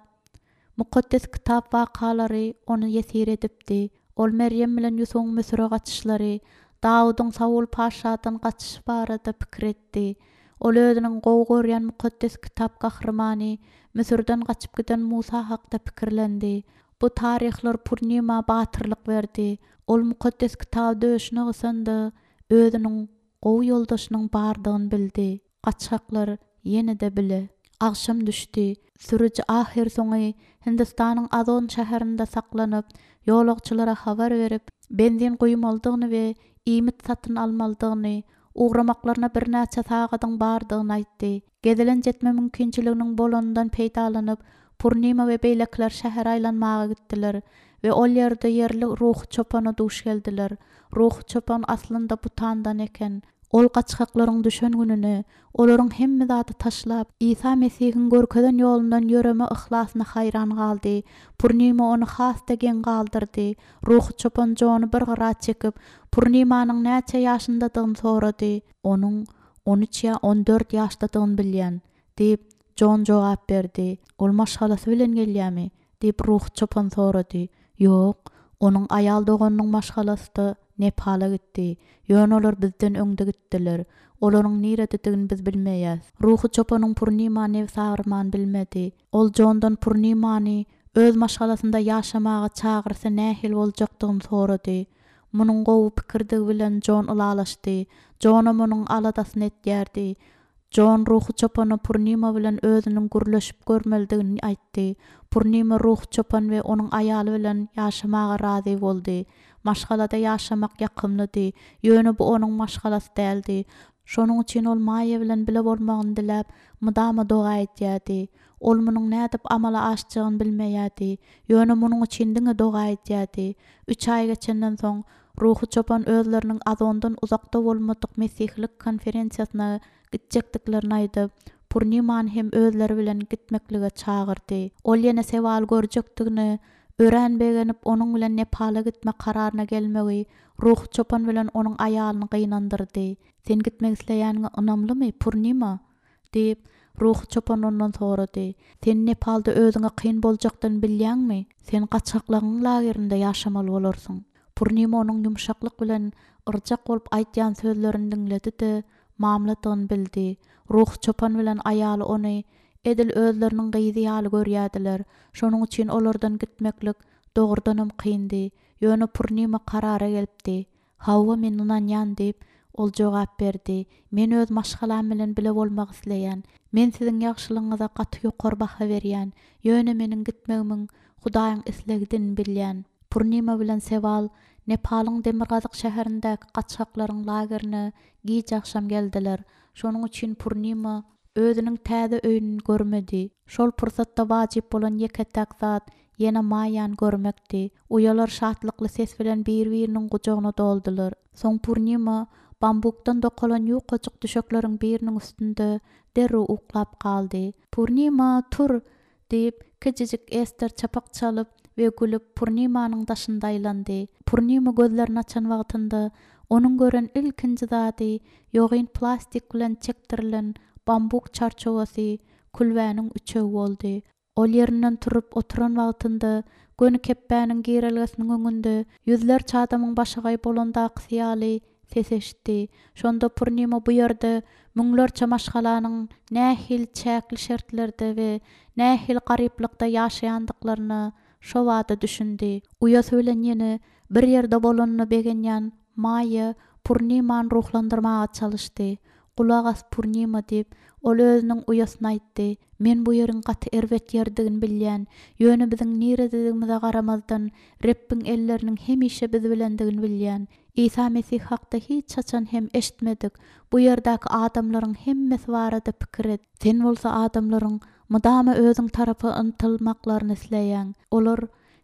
mukaddes kitap wakalary ony ýesir edipdi. Ol Meryem bilen Ýusubyň Müsüre gaçyşlary, Dawudyň Saul paşadan gaçyşy barada pikir etdi. Ol özüniň gowy görýän mukaddes kitap gahrymany Müsürden gaçyp giden Musa hakda pikirlendi. Bu taryhlar Purnima batyrlyk berdi. Ol mukaddes kitaby döşüne gysanda özüniň gowy ýoldaşynyň bardygyny bildi. Gaçgaklar ýene-de bile. Agşam düşdi. Sürüji ahyrsoňy Hindistanyň Azon şäherinde saklanyp, ýolagçylara habar berip, benzin guýmalydygyny we iýmit satyn almalydygyny, ugramaklaryna birnäçe sagadyň bardygyny aýtdy. Gezelenç etme mümkinçiliginiň bolanyndan peýdalanyp, Purnima we beýlekiler şähere aýlanmaga gitdiler we ol ýerde ýerli ruhy çopana duş geldiler. Ruhy çopan aslynda Butandan eken. Ol gaçgaklaryň düşen gününe, olaryň hemme zady taşlap, Isa Mesihiň görkezen ýolundan ýöreme yhlasyna haýran galdy. Purnima ony has-da geň galdyrdy. Ruhy çopan Jony bir gyra çekip, Purnimanyň näçe ýaşyndadygyny sorady. Onuň on üç ýa on dört ýaşdadygyny bilýän, diýip, Jon jogap berdi. Ol maşgalasy bilen gelýärmi? Diýip, ruhy çopan sorady. Ýok, onuň aýal doganynyň maşgalasy-da Nepala gitdi. Ýöne olar bizden öňde gitdiler. Olaryň nirededigini biz bilmeýäs. Ruhy çopanyň Purnima nebs agyrman bilmedi. Ol Jondan Purnimany öz maşgalasynda ýaşamaga çagyrsa nähili boljakdygyny sorady. Munuň gowy pikirdigi bilen Jon ylalaşdy. Jonam onuň aladasyny etýärdi. Jon ruhy çopana Purnima bilen özüniň gürleşip görmelidigini aýtdy. Purnima ruhy çopan we onuň aýaly bilen ýaşamaga razy boldy. Maşgalada ýaşamak ýakymlydy. Ýöne bu onuň maşgalasy däldi. Şonuň üçin ol Maýa bilen bile bolmagyny diläp, mydama doga edýärdi. Ol munuň nädip amala aşjagyny bilmeýärdi. Ýöne munuň üçin diňe doga edýärdi. Üç aý geçenden soň ruhy çopan özleriniň Azondan uzakda bolmadyk mesihlik konferensiýasyna gitjekdiklerini aýdyp, Purnimany hem özleri bilen gitmeklige çagyrdy. Ol ýene sewal görjekdigini örän begenip, onuň bilen Nepala gitme kararyna gelmegi ruhy çopan bilen onuň aýalyny gynandyrdy. Sen gitmek isleýäniňe ynamlymy, Purnima? Diýip, ruhy çopan ondan sorady. Sen Nepalda özüňe kyn boljakdygyny bilýäňmi? Sen gaçgaklaryň lagerinde ýaşamaly bolarsyň. Purnima onuň ýumşaklyk bilen yrjak bolup aýtýan sözlerini diňledi-de, mamladygyny bildi. Ruhy çopan bilen aýaly ony edil özleriniň gyzy ýaly görýärdiler. Şonuň üçin olardan gitmeklik dogrudanam kyndy. Ýöne Purnima karara gelipdi. Hawa, men ynanýan diýip, ol jogap berdi. Men öz maşgalam bilen bile bolmak isleýän. Men siziň ýagşylygyňyza gaty ýokary baha berýän. Ýöne meniň gitmegimiň Hudaýyň islegidigini bilýän. Purnima bilen Sewal Nepalyň Demirgazyk şäherindäki gaçgaklaryň lagerine giç agşam geldiler. Şonuň üçin Purnima özüniň täze öýüni görmedi. Şol pursatda wajyp bolan ýeke-täk zat ýene Maýany görmekdi. Uýalar şatlykly ses bilen bir-biriniň gujagyna doldular. Soň Purnima bambukdan dokalan ýukajyk düşekleriň biriniň üstünde derrew uklap galdy. Purnima, tur! Diýip, kiçijik Ester çapak çalyp we gülüp Purnimanyň daşynda aýlandy. Purnima gözlerini açan wagtynda onuň gören ilkinji zady ýogyn plastik bilen çekdirilen bambuk çarçuwasy külbäniň üçegi boldy. Ol ýerinden turup oturan wagtynda göni kepbäniň girelgesiniň öňünde ýüzlerçe adamyň başagaý bolandakysy ýaly ses eşitdi. Şonda Purnima bu ýerde müňlerçe maşgalanyň nähili çäkli şertlerde we nähili garyplykda ýaşaýandyklaryna şo bada düşündi. Uýasy bilen ýene bir ýerde bolanyna begenýän Maýa Purnimany ruhlandyrmaga çalyşdy. Gulak as Purnima diýip, ol özüniň uýasyna aýtdy. Men bu ýeriň gaty erbet ýerdigini bilýän. Ýöne biziň nirededigimize garamazdan Rebbiň elleriniň hemişe biz bilendigini bilýän. Isa Mesih hakda hiç haçan hem eşitmedik. Bu ýerdäki adamlaryň hemmesi barada pikir et. Sen bolsa adamlaryň mydama özüň tarapa ymtylmaklaryny isleýäň. Olar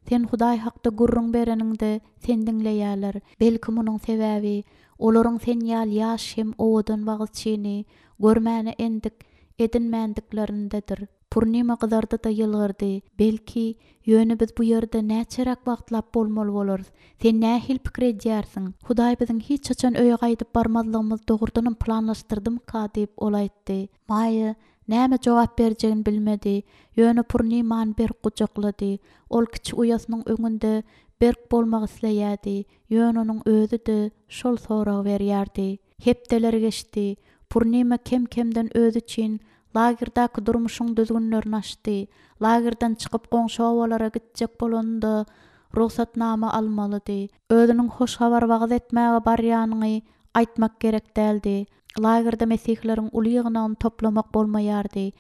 sen Hudaý hakda gürrüň bereniňde sen diňleýärler. Belki munuň sebäbi olaryň sen ýaly ýaş hem owadan wagyzçyny görmäne endik edinmändiklerindedir. Purnima gyzardy-da ýylgyrdy. Belki, ýöne biz bu ýerde näçeräk wagtlap bolmaly bolarys. Sen nähili pikir edýärsiň? Hudaý biziň hiç haçan öýe gaýdyp barmazlygymyzy dogrudanam planlaşdyrdymyka diýip ol aýtdy. Maýa näme jogap berjegini bilmedi. Ýöne Purnimany berk gujaklady. Ol kiçi uýasynyň öňünde berk bolmak isleýärdi. Ýöne onuň özi-de şol soragy berýärdi. Hepdeler geçdi. Purnima kem-kemden özi üçin lagerdäki durmuşyň düzgünlerini açdy. Lagerden çykyp goňşy obalara gitjek bolanda rugsatnama almalydy. Özüniň hoş habar wagyz etmäge barýanyny aýtmak gerek däldi. Lagerde mesihleriň uly ýygnagyny toplamak bolmaýardy.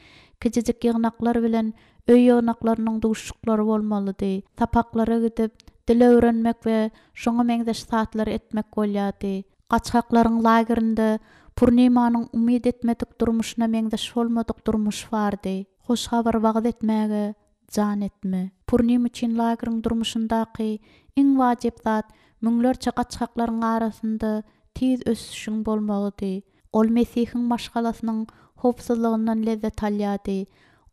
Kiçijik ýygnaklar bilen öý ýygnaklarynyň duşuklary bolmalydy. Sapaklara gidip, dil öwrenmek we şoňa meňzeş zatlar etmek bolýardy. Gaçgaklaryň lagerinde Purnimanyň umyt etmedik durmuşyna meňzeş bolmadyk durmuş bardy. Hoş habar wagyz etmäge jan etme. Purnim üçin lageriň durmuşyndaky iň wajyp zat müňlerçe gaçgaklaryň arasynda tiz ösüşiň bolmagydy. Ol Mesihiň maşgalasynyň howpsuzlygyndan lezzet alýardy.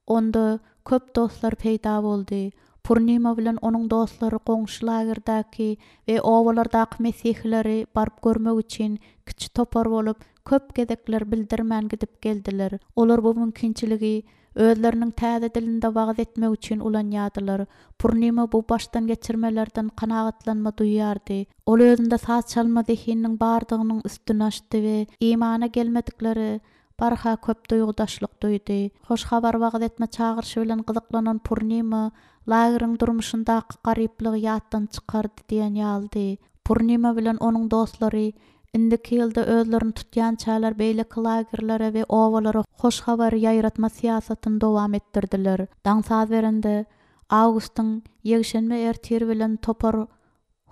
Onda köp dostlar peýda boldy. Purnima bilen onuň dostlary goňşy lagerdäki we obalardaky mesihleri baryp görmek üçin kiçi topar bolup köp gezekler bildirmän gidip geldiler. Olar bu mümkinçiligi özleriniň täze dilinde wagyz etmek üçin ulanýardylar. Purnima bu başdan geçirmelerden kanagatlanma duýardy. Ol özünde saz çalma zehininiň bardygynyň üstüne açdy we imana gelmedikleri barha köp duýgudaşlyk duýdy. Hoş habar wagyz etme çagyryşy bilen gyzyklanan Purnima lageriň durmuşyndaky garyplygy ýatdan çykardy diýen ýalydy. Purnima bilen onuň dostlary indiki ýylda özlerini tutýan çäler beýleki lagerlere we obalara hoş habary ýaýratma syýasatyny dowam etdirdiler. Daň saz berende Awgustyň ýekşenbe ertir bilen topar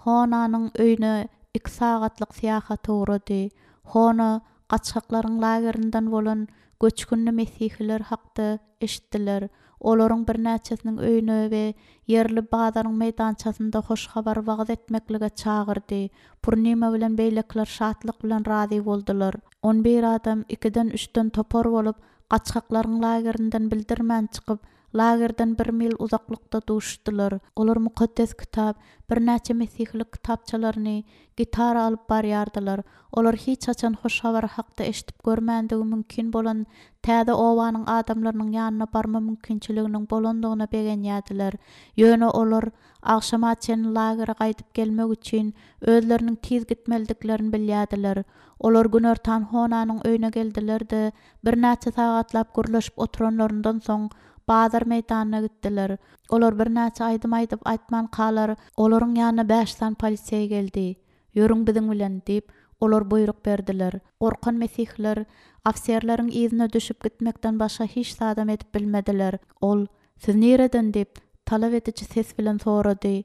Honanyň öýüne iki sagatlyk syýahata ugrady. Hona gaçgaklaryň lagerinden bolan göçgünli mesihiler hakda eşitdiler. Olaryň birnäçesiniň öýüne we ýerli bazaryň meýdançasynda hoş habar wagyz etmeklige çagyrdy. Purnima bilen beýlekiler şatlyk bilen razy boldular. On bir adam ikiden üçden topar bolup gaçgaklaryň lagerinden bildirmän çykyp, lagerden bir mil uzaklykda duşdular. Olar mukaddes kitap, birnäçe mesihlik kitapçalaryny, gitara alyp barýardylar. Olar hiç haçan hoş habar hakda eşidip görmändigi mümkin bolan täze obanyň adamlarynyň ýanyna barma mümkinçiliginiň bolandygyna begenýärdiler. Ýöne olar agşama çenli lagere gaýdyp gelmek üçin özleriniň tiz gitmelidiklerini bilýärdiler. Olar günortan Honanyň öýüne geldiler-de, birnäçe sagatlap gürleşip oturanlaryndan soň bazar meýdanyna gitdiler. Olar birnäçe aýdym aýdyp aýtmankalar, olaryň ýanyna bäş sany polisiýa geldi. "Ýörüň biziň bilen" diýip, olar buýruk berdiler. Gorkan mesihler ofiserleriň yzyna düşüp gitmekden başga hiç zadam edip bilmediler. Ol, "Siz nireden?" diýip, talap ediji ses bilen sorady.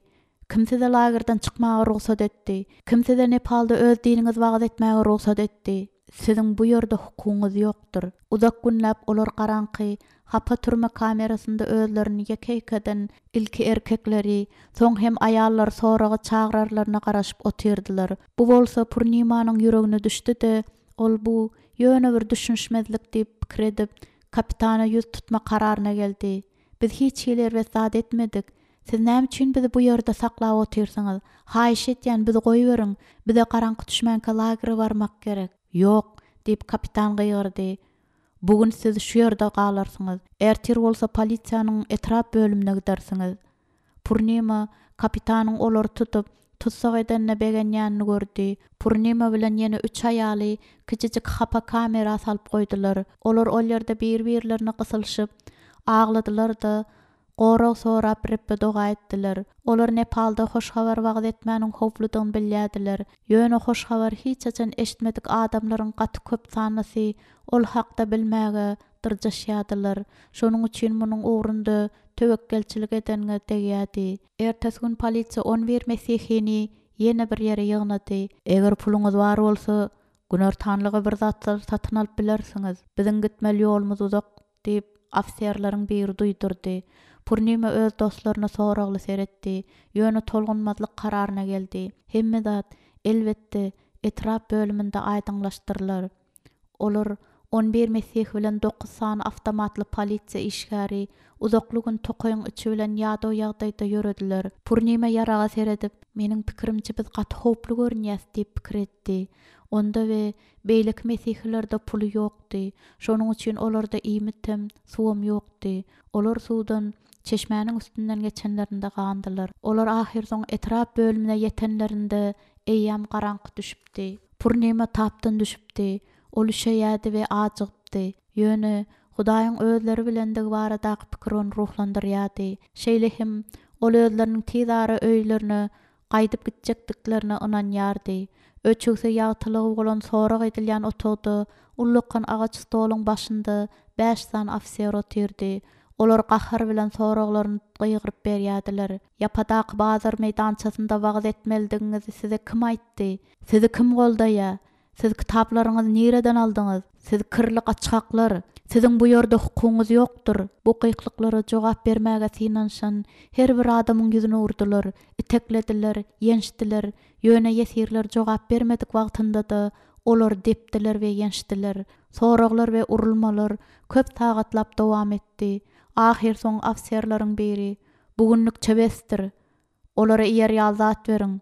"Kim size lagerden çykmaga rugsat etdi? Kim size Nepalda öz diniňizi wagyz etmäge rugsat etdi? Siziň bu ýerde hukugyňyz ýokdur." Uzak günläp olar garaňky hapa türme kamerasynda özlerini ýeke-ýekeden ilki erkekleri, soň hem aýallar soraga çagyrarlaryna garaşyp otyrdylar. Bu bolsa Purnimanyň ýüregine düşdi-de, ol bu ýöne bir düşünişmezlik diýip pikir edip, kapitana ýüz tutma kararyna geldi. "Biz hiç hili erbet zat etmedik. Siz näme üçin bizi bu ýerde saklap otyrsyňyz? Haýyş etýän bizi goýberiň. Bize garaňky düşmänkä lagere barmak gerek." "Ýok," diýip kapitan gygyrdy. "Bugün siz şu ýerde galarsyňyz. Ertir bolsa polisiýanyň etrap bölümine gidersiňiz." Purnima kapitanyň olary tutup, tussag edenine begenýänini gördi. Purnima bilen ýene üç aýaly kiçijik hapa kamera salyp goýdular. Olar ol ýerde bir-birlerine gysylyşyp, agladylar-da, gorag sorap Rebbe doga etdiler. Olar Nepalda hoş habar wagyz etmäniň howpludygyny bilýärdiler. Ýöne hoş habar hiç haçan eşitmedik adamlaryň gaty köp sanlysy ol hakda bilmäge dyrjaşýardylar. Şonuň üçin munuň ugrunda töwekgelçilik edenge degýärdi. Ertesi gün polisiýa on bir mesihini ýene bir ýere ýygnady. "Eger puluňyz bar bolsa, günortanlyga bir zatlar satyn alyp bilersiňiz. Biziň gitmeli ýolumyz uzak" diýip ofiserleriň biri duýdurdy. Purnima öz dostlaryna soragly seretdi. Ýöne tolgunmazlyk kararyna geldi. Hemme zat elbetde etrap bölüminde aýdyňlaşdyrylar. Olar on bir mesih bilen dokuz sany awtomatly polisiýa işgäri uzakly gün tokaýyň içi bilen ýadaw ýagdaýda ýörediler. Purnima ýaraga seredip, "Meniň pikirimçe biz gaty howply görünýäs" diýip pikir etdi. Onda we beýleki mesihlerde puly ýokdy. Şonuň üçin olarda iýmit hem, suwam ýokdy. Olar suwdan çeşmäniň üstünden geçenlerinde gandylar. Olar ahyrsoň etrap bölümine ýetenlerinde eýýäm garaňky düşüpdi. Purnima tapdan düşüpdi. Ol üşeýärdi we ajygypdy. Ýöne Hudaýyň özleri bilendigi baradaky pikir ony ruhlandyrýardy. Şeýle hem ol özleriniň tiz ara öýlerine gaýdyp gitjekdiklerine ynanýardy. Öçügsi ýagtylygy bolan sorag edilýän otagda ullakan agaç stoluň başynda bäş sany ofiser otyrdy. Olar gahar bilen soraglaryny gygyryp berýärdiler. Ýapadaky bazar meýdançasynda wagyz etmelidigiňizi size kim aýtdy? Sizi kim goldaýar? Siz kitaplaryňyzy nireden aldyňyz? Siz kirli gaçgaklar. Siziň bu ýerde hukugyňyz ýokdur. Bu gyklyklara jogap bermäge synanyşan her bir adamyň ýüzüne urdular, iteklediler, ýençdiler. Ýöne ýesirler jogap bermedik wagtynda-da olar depdiler we ýençdiler. Soraglar we urulmalar köp sagatlap dowam etdi. Ahyr soň ofiserleriň biri: "Bugünlükçe besdir. Olara iýer ýaly zat beriň.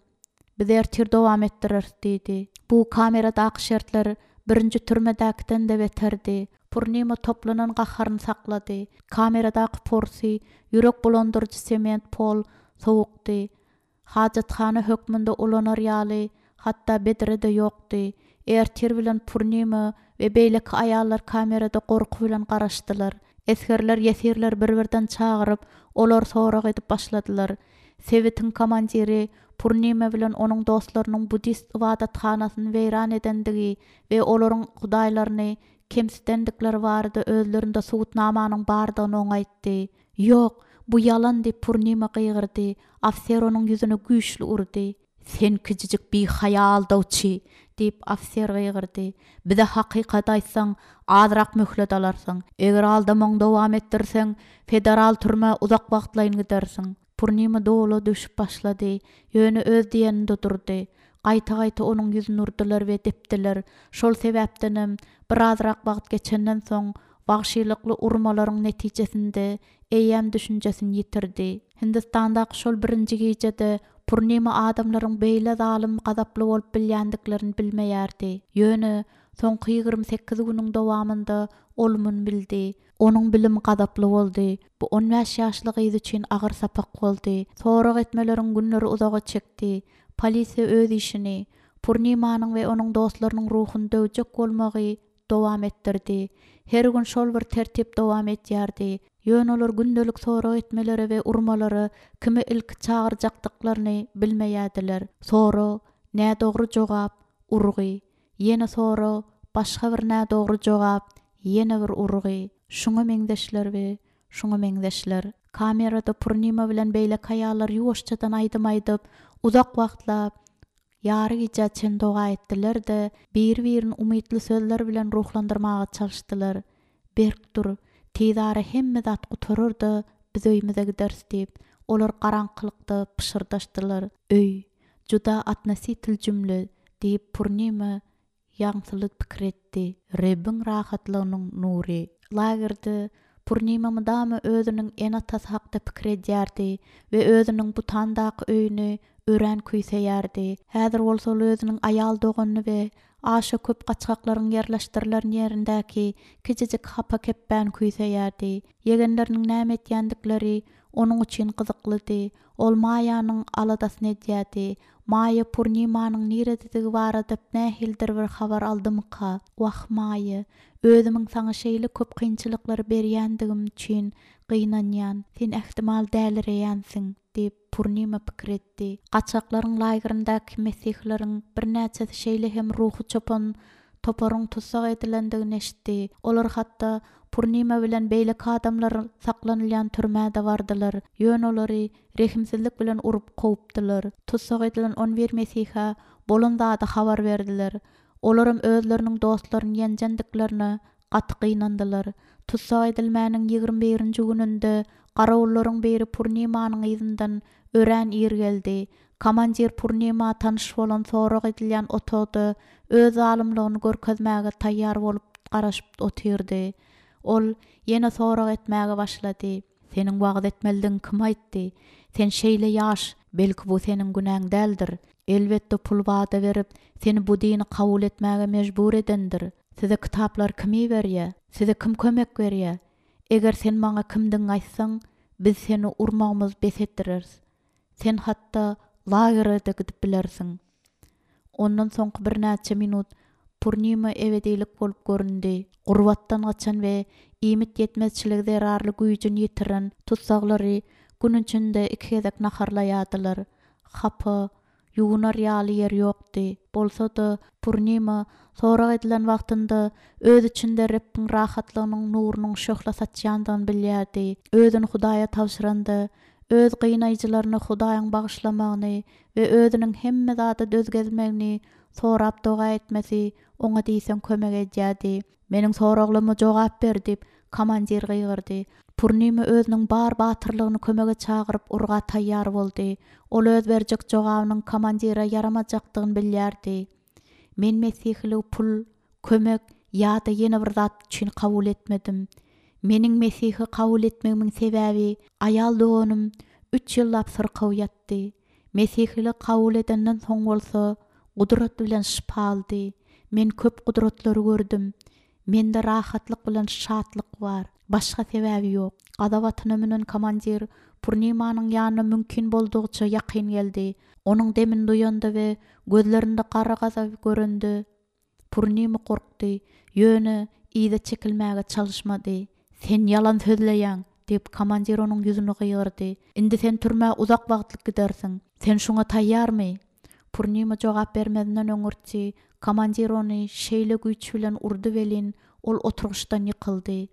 Biz ertir dowam etdireris" diýdi. Bu kameradaky şertler birinji türmedäkiden-de beterdi. Purnima toplanan gaharyny saklady. Kameradaky porsy, ýürek bulandyryjy sement pol sowukdy. Hajathana hökmünde ulanar ýaly hatda bedre-de ýokdy. Ertir bilen Purnima we beýleki aýallar kamerada gorky bilen garaşdylar. Esgerler ýesirler bir-birden çagyryp, olar sorag edip başladylar. Sebitiň komandiri Purnima bilen onuň dostlarynyň buddist ybadathanasyny weýran edendigi we olaryň hudaýlaryny kemsidendikleri barada özlerinde subutnamanyň bardygyny oňa aýtdy. Ýok, bu ýalan diýip Purnima gygyrdy. Ofiser onuň ýüzüne güýçli urdy. Sen kiçijik bihaýa aldawçy diýip ofiser gygyrdy. Bize hakykat aýtsaň, azrak möhlet alarsyň. Eger aldamagyňy dowam etdirseň, federal türmä uzak wagtlaýyn gidersiň. Purnima dowla düşüp başlady. Ýöne öz diýeninde durdy. Gaýta-gaýta onuň ýüzüne urdular we depdiler. Şol sebäpdenem birazrak wagt geçenden soň wagşylykly urmalaryň netijesinde eýýäm düşünjesini ýitirdi. Hindistandaky şol birinji gijede Purnima adamlaryň beýle zalym gazaply bolup bilýändiklerini bilmeýärdi. Ýöne soňky ýigrimi sekiz günüň dowamynda ol muny bildi. Onuň bilimi gazaply boldy. Bu on bäş ýaşly gyz üçin agyr sapak boldy. Sorag etmeleriň günleri uzaga çekdi. Polisiýa öz işini, Purnimanyň we onuň dostlarynyň ruhuny döwjek bolmagy dowam etdirdi. Her gün şol bir tertip dowam edýärdi. Ýöne olar gündelik sorag etmelere we urmalara kimi ilki çagyrjakdyklaryny bilmeýärdiler. Sorag, nädogry jogap, urgy. Ýene sorag, başga bir nädogry jogap, ýene bir urgy. Şuňa meňzeşler we şuňa meňzeşler. Kamerada Purnima bilen beýleki aýallar ýuwaşjadan aýdym aýdyp, uzak wagtlap ýary gijä çen doga etdiler-de, bir-birini umytly sözler bilen ruhlandyrmaga çalyşdylar. Berk dur, tiz ara hemme zat gutarar-da biz öýümize gideris diýip, olar garaňkylykda pyşyrdaşdylar. Öý, juda atnositel jümle diýip Purnima ýaňsyly pikir etdi. Rebbiň rahatlygynyň nury. Lagerde Purnima mydama özüniň ene-atasy hakda pikir edýärdi we özüniň Butandaky öýüni örän küýseýärdi. Häzir bolsa ol özüniň aýal doganyny we aşa köp gaçgaklaryň ýerleşdirilen ýerindäki kiçijik hapa kepbäni küýseýärdi. Ýegenleriniň näme etýändikleri onuň üçin gyzyklydy. Ol Maýanyň aladasyny edýärdi. Maýa Purnimanyň nirededigi barada nähilidir bir habar aldymyka? Wah Maýa, özümiň saňa şeýle köp kynçylyklary berýändigim üçin gynanýan. Sen ähtimal dälireýänsiň diýip Purnima pikir etdi. Gaçaklaryň lagerindäki mesihleriň birnäçesi şeýle hem ruhy çopan toparyň tussag edilendigini eşitdi. Olar hatda Purnima bilen beýleki adamlar saklanylýan türmäde bardylar. Ýöne olary rehimsizlik bilen urup kowupdylar. Tussag edilen on bir mesihe bolan zady habar berdiler. Olaram özleriniň dostlaryny ýenjendiklerine gaty gynandylar. Tussag edilmäniň ýigrimi birinji gününde garawullaryň biri Purnimanyň yzyndan örän ir geldi. Komandir Purnima tanyş bolan sorag edilýän otagda öz zalymlygyny görkezmäge taýýar bolup garaşyp otyrdy. Ol ýene sorag etmäge başlady. Seniň wagyz etmelidigiň kim aýtdy? Sen şeýle ýaş, belki bu seniň günäň däldir. Elbetde pul wada berip, seni bu dini kabul etmäge mejbur edendir. Size kitaplar kim berýär? Size kim kömek berýär? Eger sen maňa kimdigiňi aýtsaň, biz seni urmagymyz bes etdireris. Sen hatda lagere-de gidip bilersiň. Ondan soňky birnäçe minut Purnima ebedilik bolup göründi. Gurbatdan gaçan we iýmit ýetmezçiligi zerarly güýjüni ýitiren tutsaglary gün içinde iki gezek naharlaýardylar. Hapa, ýuwunar ýaly ýer ýokdy. Bolsa-da Purnima sorag edilen wagtynda öz içinde Rebbiň rahatlygynyň nurunyň şöhle saçýandygyny bilýärdi. Özüni Hudaýa tabşyranda, öz gynaýjylaryny Hudaýyň bagyşlamagyny we özüniň hemme zada döz gezmegini sorap doga etmesi oňa diýseň kömek edýärdi. Meniň soraglaryma jogap ber diýip komandir gygyrdy. Purnima özüniň bar batyrlygyny kömege çagyryp urga taýýar boldy. Ol öz berjek jogabynyň komandire ýaramajakdygyny bilýärdi. Men Mesihiligi pul, kömek ýa-da ýene bir zat üçin kabul etmedim. Meniň Mesihi kabul etmegimiň sebäbi aýal doganym üç ýyllap syrkaw ýatdy. Mesihili kabul edenden soň bolsa gudrat bilen şypa aldy. Men köp gudratlary gördüm. Mende rahatlyk bilen şatlyk bar. Başga sebäbi ýok. Gazap atyna münen komandir Purnimanyň ýanyna mümkin boldugyça ýakyn geldi. Onuň demini duýanda we gözlerinde gara gazap görende Purnima gorkdy. Ýöne yza çekilmäge çalyşmady. Sen ýalan sözleýäň diýip komandir onuň ýüzüne gygyrdy. Indi sen türmä uzak wagtlyk gidersiň. Sen şoňa taýýarmy? Purnima jogap bermezinden öňürti komandir ony şeýle güýç bilen urdy welin ol oturgyçdan ýykyldy.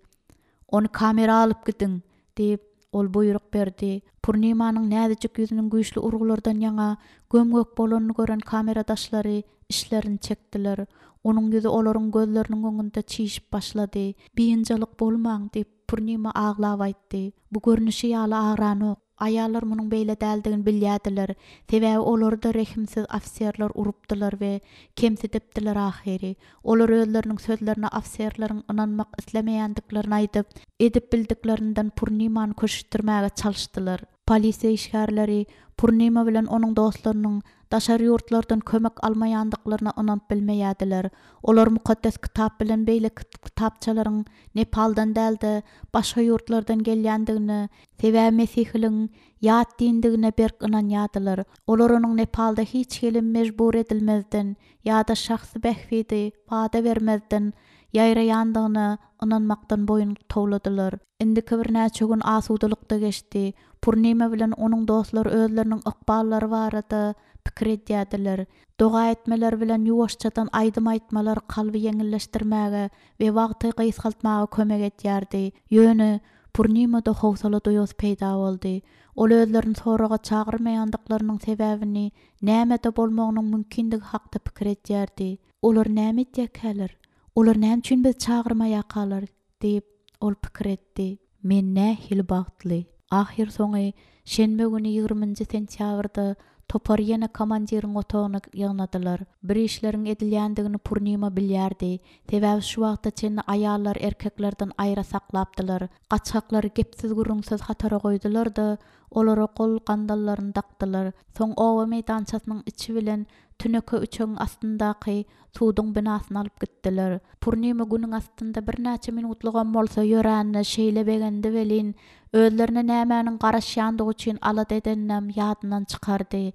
Ony kamera alyp gidiň diýip ol buýruk berdi. Purnimanyň näzijik ýüzüniň güýçli urgulardan ýaňa göm-gök bolanyny gören kameradaşlary işlerini çekdiler. Onuň ýüzi olaryň gözleriniň öňünde çişip başlady. Biynjalyk bolmaň diýip Purnima aglap aýtdy. Bu görnüşi ýaly agranok. Aýallar munuň beýle däldigini bilýärdiler. Sebäbi olary-da rehimsiz ofiserler urupdylar we kemsidipdiler ahyry. Olar özleriniň sözlerine ofiserleriň ynanmak islemeýändiklerini aýdyp, edip bildiklerinden Purnimany köşeşdirmäge çalyşdylar. Polisiýa işgärleri Purnima bilen onuň dostlarynyň daşary ýurtlardan kömek almaýandyklaryna ynanyp bilmeýärdiler. Olar mukaddes kitap bilen beýleki kitapçalaryň Nepaldan däl-de başga ýurtlardan gelýändigine, sebäbi Mesihiligiň ýat dindigine berk ynanýardylar. Olar onuň Nepalda hiç hili mejbur edilmezden ýa-da şahsy bähbidi wada bermezden ýaýraýandygyna ynanmakdan boýun towladylar. Indiki birnäçe gün asudalykda geçdi. Purnima bilen onuň dostlary özleriniň ykballary barada pikir edýärdiler. Doga etmeler bilen ýuwaşjadan aýdym aýtmalar kalby ýeňilleşdirmäge we wagty gysgaltmaga kömek edýärdi. Ýöne Purnimada howsala duýgusy peýda boldy. Ol özlerini soraga çagyrmaýandyklarynyň sebäbini nämede bolmagynyň mümkindigi hakda pikir edýärdi. Olar näme etýärkäler? Olar näme üçin biz çagyrmaýarkalar diýip ol pikir etdi. Men nähili bagtly. Ahyr soňy şenbe güni ýigriminji sentýabrda topar ýene komandiriň otagyna ýygnadylar. Bir işleriň edilýändigini Purnima bilýärdi. Sebäbi şu wagta çenli aýallar erkeklerden aýra saklapdylar. Gaçaklary gepsiz gürrüňsiz hatara goýdular-da, olara gol gandallaryny dakdylar. Soň oba meýdançasynyň içi bilen tüneke üçegiň astyndaky suduň binasyny alyp gitdiler. Purnima günüň astynda birnäçe minutlygam bolsa ýöränine şeýle begendi welin, özlerine nämäniň garaşýandygy üçin alada edeninem ýadyndan çykardy.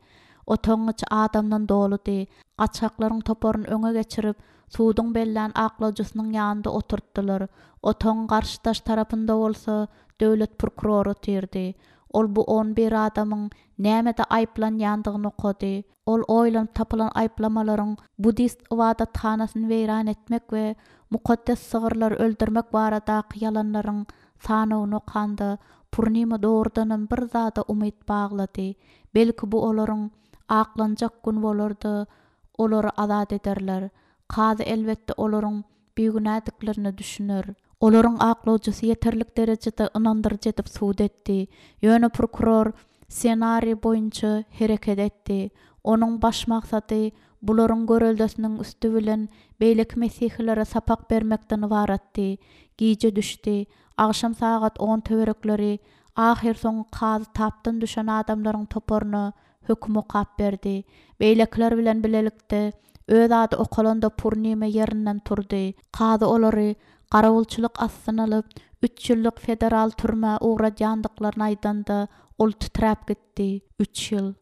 Otagyň içi adamdan doludy. Gaçaklaryň toparyny öňe geçirip, suduň bellän aklawjysynyň ýanynda oturtdylar. Otagyň garşydaş tarapynda bolsa döwlet prokurory otyrdy. Ol bu on bir adamyň nämede aýyplanýandygyny okady. Ol oýlanyp tapylan aýyplamalaryň buddist ybadathanasyny weýran etmek we mukaddes sygyrlary öldürmek baradaky ýalanlaryň sanawyny okanda Purnima dogrudanam bir zada umyt baglady. Belki bu olaryň aklanjak gün bolar-da, olary azat ederler. Kazy elbetde olaryň bigünädiklerine düşüner. Olaryň aklawjysy ýeterlik derejede ynandyryjy edip sud etdi. Ýöne prokuror ssenariý boýunça hereket etdi. Onuň baş maksady bularyň göreldesiniň üsti bilen beýleki mesihilere sapak bermekden ybaratdy. Gije düşdi. Agşam sagat on töwerekleri ahyr soňy kazy tapdan düşen adamlaryň toparyna höküm okap berdi. Beýlekiler bilen bilelikde öz ady okalanda Purnima ýerinden turdy. Kazy olary garawulçylyk astyna alyp, üç ýyllyk federal türmä ugradýandyklaryny aýdanda ol titräp gitdi. Üç ýyl.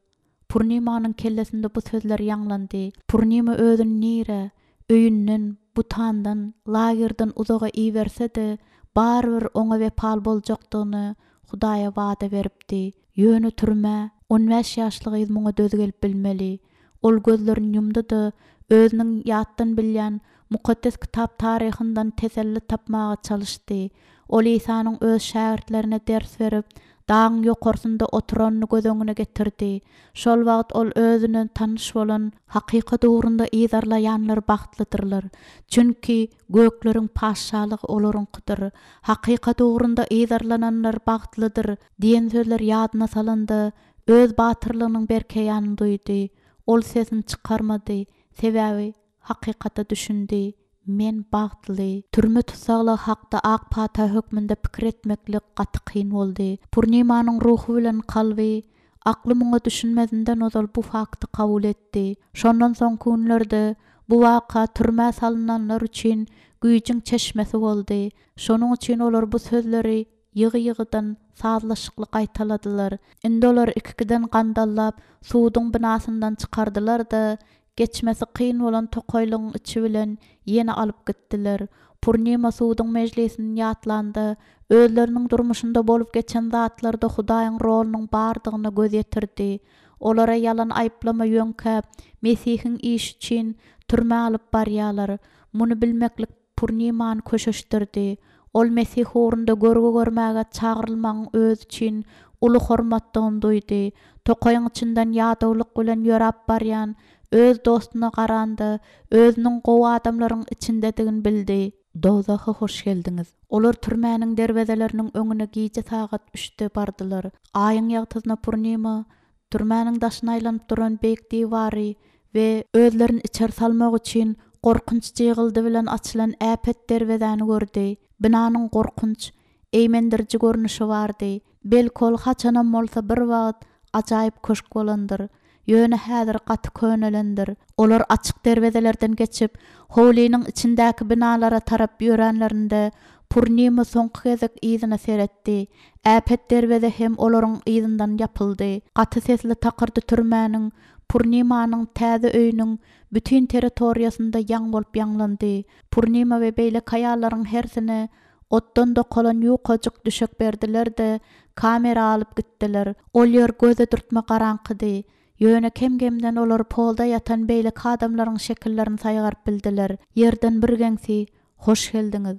Purnimanyň kellesinde bu sözler ýaňlandy. Purnima özüni nire, Öýünden, Butandan, lagerden uzaga iberse-de, barybir oňa wepaly boljakdygyny Hudaýa wada beripdi. Ýöne türmä on bäş ýaşly gyz muňa döz gelip bilmeli. Ol gözlerini ýumdy-da, özüniň ýatdan bilýän Mukaddes Kitap taryhyndan teselli tapmaga çalyşdy. Ol Isanyň öz şägirtlerine ders berip, dagyň ýokarsynda oturanyny göz öňüne getirdi. Şol wagt ol özüne tanyş bolan hakykat ugrunda yzarlaýanlar bagtlydyrlar. Çünki gökleriň patyşalygy olaryňkydyr. Hakykat ugrunda yzarlananlar bagtlydyr diýen sözler ýadyna salanda öz batyrlygynyň berkeýänini duýdy. Ol sesini çykarmady, sebäbi hakykata düşündi. Men bagtly. Türme tussaglygy hakda ak pata hökmünde pikir etmeklik gaty kyn boldy. Purnimanyň ruhy bilen kalby akly muňa düşünmezinden ozal bu fakty kabul etdi. Şondan soňky günlerde bu waka türmä salynanlar üçin güýjüň çeşmesi boldy. Şonuň üçin olar bu sözleri ýygy-ýygydan sazlaşykly gaýtaladylar. Indi olar iki-ikiden gandallap suduň binasyndan çykardylar-da, geçmesi kyn bolan tokaýlygyň içi bilen ýene alyp gitdiler. Purnima suduň mejlisini ýatlanda, özleriniň durmuşynda bolup geçen zatlarda Hudaýyň rolunyň bardygyna göz ýetirdi. Olara ýalan aýyplama ýöňkäp, Mesihiň işi üçin türmä alyp barýarlar. Muny bilmeklik Purnimany köşeşdirdi. Ol Mesih ugrunda görgi görmäge çagyrylmagyň özi üçin uly hormatdygyny duýdy. Tokaýyň içinden ýadawlyk bilen ýöräp barýan öz dostuna garanda özüniň gowy adamlaryň içindedigini bildi. Dowzaha hoş geldiňiz. Olar türmäniň derwezeleriniň öňüne gije sagat üçde bardylar. Aýyň ýagtysyna Purnima türmäniň daşyna aýlanyp duran beýik diwary we özlerini içeri salmak üçin gorkunç jygyldy bilen açylan äpet derwezäni gördi. Binanyň gorkunç, eýmendiriji görnüşi bardy. Belki ol haçanam bolsa bir wagt ajaýyp köşk bolandyr. Ýöne häzir gaty könelendir. Olar açyk derwezelerden geçip, howlynyň içindäki binalara tarap ýöränlerinde Purnima soňky gezek yzyna seretdi. Äpet derweze hem olaryň yzyndan ýapyldy. Gaty sesli takyrdy türmäniň, Purnimanyň täze öýüniň bütün territoriýasynda ýaň bolup ýaňlandy. Purnima we beýleki aýallaryň hersine otdan dokalan ýukajyk düşek berdiler-de, kamera alyp gitdiler. Ol ýer göze dürtme garaňkydy. Ýöne kem-kemden olar polda ýatan beýleki adamlaryň şekillerini saýgaryp bildiler. Ýerden bir geňsi, "Hoş geldiňiz.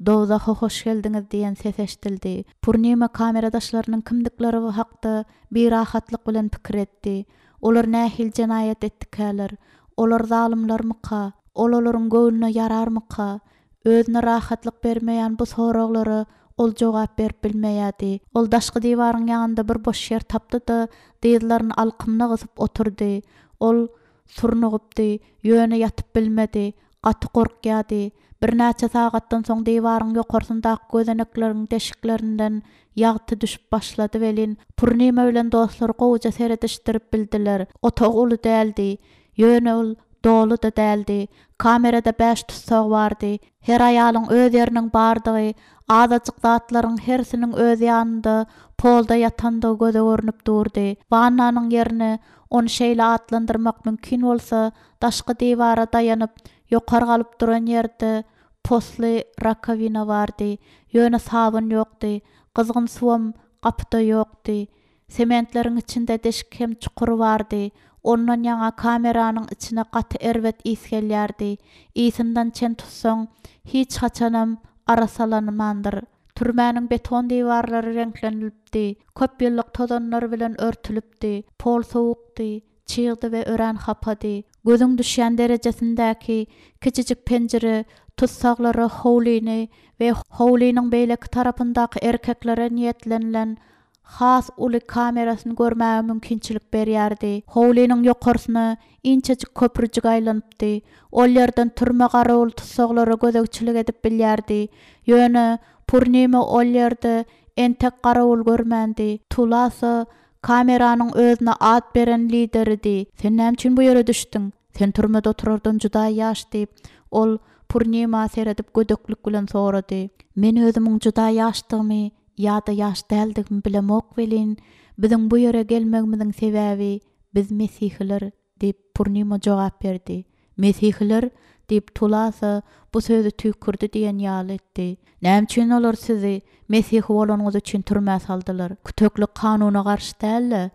Dowzaha hoş geldiňiz" diýen ses eşidildi. Purnima kameradaşlarynyň kimdikleri hakda birahatlyk bilen pikir etdi. Olar nähili jenaýat etdikäler? Olar zalymlarmyka? Ol olaryň göwnüne ýararmyka? Özüne rahatlyk bermeýän bu soraglara ol jogap berip bilmeýärdi. Ol daşky diwaryň ýanynda bir boş ýer tapdy-da, dyzlaryny alkymyna gysyp oturdy. Ol surnugypdy, ýöne ýatyp bilmedi, gaty gorkýardy. Birnäçe sagatdan soň diwaryň ýokarsyndaky gözenekleriň deşiklerinden ýagty düşüp başlady welin, Purnima bilen dostlary gowuja seredişdirip bildiler. Otag uly däldi, ýöne ol doly-da däldi. Kamerada bäş tussag bardy. Her aýalyň öz ýeriniň bardygy, azajyk zatlaryň hersiniň öz ýanynda polda ýatandygy göze görnüp durdy. Wannanyň ýerine ony şeýle atlandyrmak mümkin bolsa, daşky diwara daýanyp, ýokary galyp duran ýerde posly rakowina bardy. Ýöne sabyn ýokdy, gyzgyn suwam gapyda ýokdy. Sementleriň içinde deşik hem çukur bardy. Ondan ýaňa kameranyň içine gaty erbet ys gelýärdi. Ysyndan çen tutsaň, hiç haçanam arasalanmandyr. Türmäniň beton diwarlary reňklenilipdi. Köp ýyllyk tozanlar bilen örtülipdi. Pol sowukdy, çygdy we örän hapady. Gözüň düşýän derejesindäki kiçijik penjire tussaglara howlyny we howlynyň beýleki tarapyndaky erkeklere niýetlenilen has uly kamerasyny görmäge mümkinçilik berýärdi. Howlynyň ýokarsyna inçejik köprüjik aýlanypdy. Ol ýerden türme garawul tussaglara gözegçilik edip bilýärdi. Ýöne Purnima ol ýerde entek garawul görmändi. Tulasa kameranyň özüne at beren lideridi. Sen näme üçin bu ýere düşdüň? Sen türmede oturardan juda ýaş diýip, ol Purnima seredip gödeklik bilen sorady. Men özümiň juda ýaşdygymy ýa-da ýaş däldigimi bilemok welin, biziň bu ýere gelmegimiziň sebäbi biz mesihiler diýip Purnima jogap berdi. Mesihiler Diýip, Tulasa bu sözi tüýkürdi diýen ýaly etdi. Näme üçin olar sizi Mesihi bolanyňyz üçin türmä saldylar? Küteklik kanuna garşy däl-de.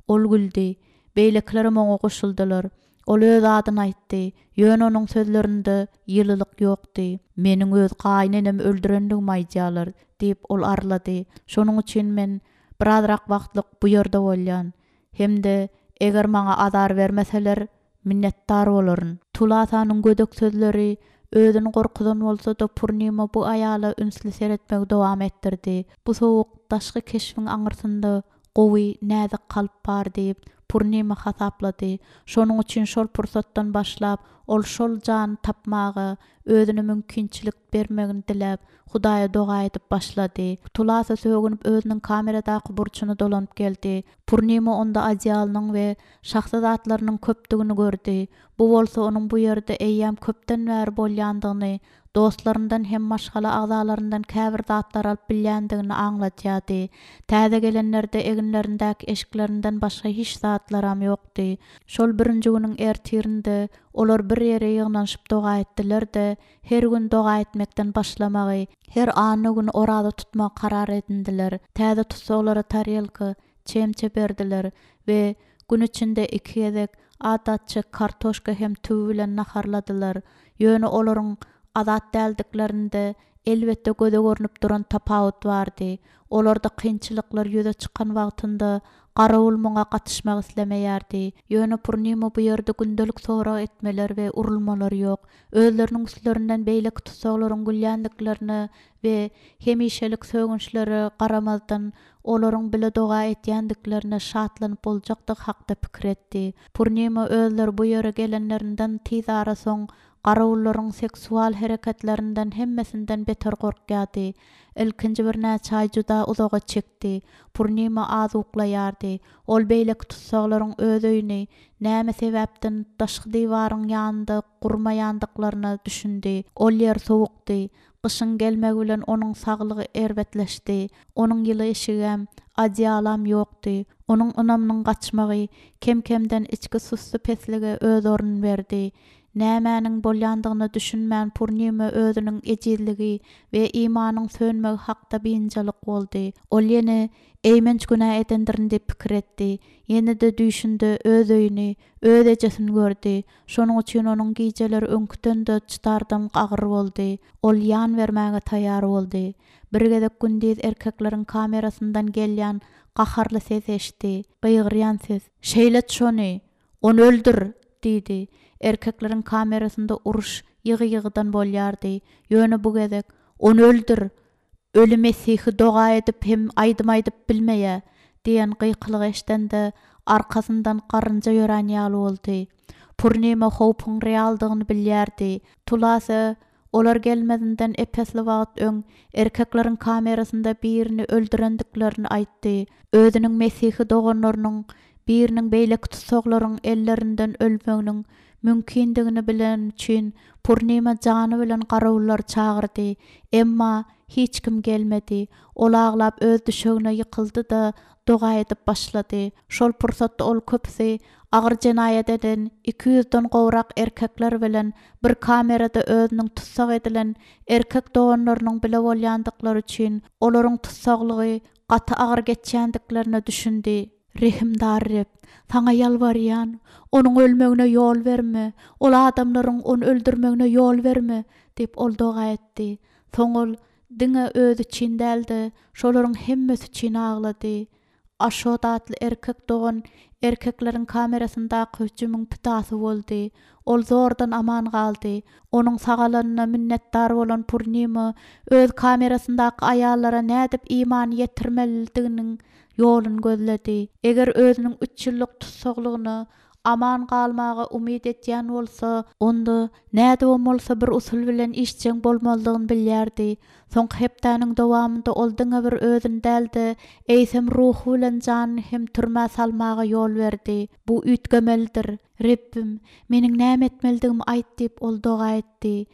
Ol güldi. Beýlekilerem oňa goşuldylar. Ol öz adyny aýtdy, ýöne onuň sözlerinde ýylylyk ýokdy. Meniň öz gaýynenemi öldürendigimi aýdýarlar, diýip, ol arlady. Şonuň üçin men birazrak wagtlyk bu ýerde bolýan. Hem-de eger maňa azar bermeseler, minnetdar bolaryn. Tulasanyň gödek sözleri özüni gorkuzan bolsa-da, Purnima bu aýala ünsli seretmegi dowam etdirdi. Bu sowuk daşky keşbiň aňyrsynda gowy, näzik kalp bar diýip, Purnima hasaplady. Şonuň üçin şol pursatdan başlap, ol şol jany tapmaga özüne mümkinçilik bermegini diläp, Hudaýa doga edip başlady. Tulasa sögünip özüniň kameradaky burçuna dolanyp geldi. Purnima onda odýalynyň we şahsy zatlarynyň köpdügini gördi. Bu bolsa onuň bu ýerde eýýäm köpden bäri bolýandygyny, dostlaryndan hem maşgala agzalaryndan käbir zatlar alyp bilýändigini aňladýardy. Täze gelenlerde eginlerindäki eşiklerinden başga hiç zatlaram ýokdy. Şol birinji günüň ertirinde olar bir ýere ýygnanyşyp doga etdiler-de, her gün doga etmekden başlamagy, her anna güni oraza tutmagy karar edindiler. Täze tussaglara tarelka, çemçe berdiler we gün içinde iki gezek adatça kartoşka hem tüwi bilen naharladylar. Ýöne olaryň azat däldiklerinde elbetde göze görnüp duran tapawut bardy. Olarda kynçylyklar ýüze çykan wagtynda garawul muňa gatyşmak islemeýärdi. Ýöne Purnima bu ýerde gündelik sorag etmeler we urulmalar ýok. Özleriniň üstlerinden beýleki tussaglaryň gülýändiklerine we hemişelik sögünçlere garamazdan olaryň bile doga etýändiklerine şatlanyp boljakdygy hakda pikir etdi. Purnima özleri bu ýere gelenlerinden tiz ara soň garawullaryň seksual hereketlerinden hemmesinden beter gorkýardy. Ilkinji birnäçe aý juda uzaga çekdi. Purnima az uklaýardy. Ol beýleki tussaglaryň öz öýüni näme sebäpden daşky diwaryň ýanynda gurmaýandyklaryna düşündi. Ol ýer sowukdy. Gyşyň gelmegi bilen onuň saglygy erbetleşdi. Onuň ýyly eşigem, odýalam ýokdy. Onuň ynamynyň gaçmagy kem-kemden içki sussy peslige öz ornuny berdi. Nämäniň bolýandygyna düşünmän Purnima özüniň ejizligi we imanyň sönmegi hakda biynjalyk boldy. Ol ýene eýmenç günä edendirin diýip pikir etdi. Ýene-de düýşünde öz öýüni, öz ejesini gördi. Şonuň üçin onuň gijeleri öňküden-de çydardan agyr boldy. Ol ýan bermäge taýýar boldy. Bir gezek gündiz erkekleriň kamerasyndan gelýän gaharly ses eşitdi. Gygyrýan ses. Şeýlet şony, ony öldür, diýdi. Erkekleriň kamerasynda uruş ýygy-ýygydan bolýardy. Ýöne bu gezek ony öldür, öli Mesihi doga edip hem aýdym aýdyp bilmeýä diýen gykylyk eşdende arkasyndan garynja ýörän ýaly boldy. Purnima howpuň realdygyny bilýärdi. Tulasa olar gelmezinden epesli wagt öň erkekleriň kamerasynda birini öldürendiklerini aýtdy. Özüniň Mesihi doganlarynyň biriniň beýleki tussaglaryň ellerinden ölmeginiň mümkindigini bilen üçin Purnima jany bilen garawullary çagyrdy. Emma hiç kim gelmedi. Ol aglap öz düşegine ýykyldy-da doga edip başlady. Şol pursatda ol köpüsi agyr jenaýat eden iki ýüzden gowrak erkekler bilen bir kamerada özüniň tussag edilen erkek doganlarynyň bile bolýandyklary üçin olaryň tussaglygy gaty agyr geçýändiklerine düşündi. Rehimdar Reb, saňa ýalbarýan, onuň ölmegine ýol berme, ol adamlaryň ony öldürmegine ýol berme, diýip ol doga etdi. Soň ol diňe özi üçin däl-de, şolaryň hemmesi üçin aglady. Aşot atly erkek dogan erkekleriň kamerasyndaky hüjümiň pidasy boldy. Ol zordan aman galdy. Onuň sagalanyna minnetdar bolan Purnima öz kamerasyndaky aýallara nädip imany ýetirmelidiginiň ýoluny gözledi. Eger özüniň üç ýyllyk tussaglygyna aman galmaga umyt etýän bolsa, onda nädip bolsa bir usul bilen işjeň bolmalydygyny bilýärdi. Soňky hepdäniň dowamynda ol diňe bir özüni däl-de, eýsem ruhy bilen janyny hem türmä salmaga ýol berdi. Bu üýtgemelidir. Rebbim, meniň näme etmelidigimi aýt diýip ol doga etdi.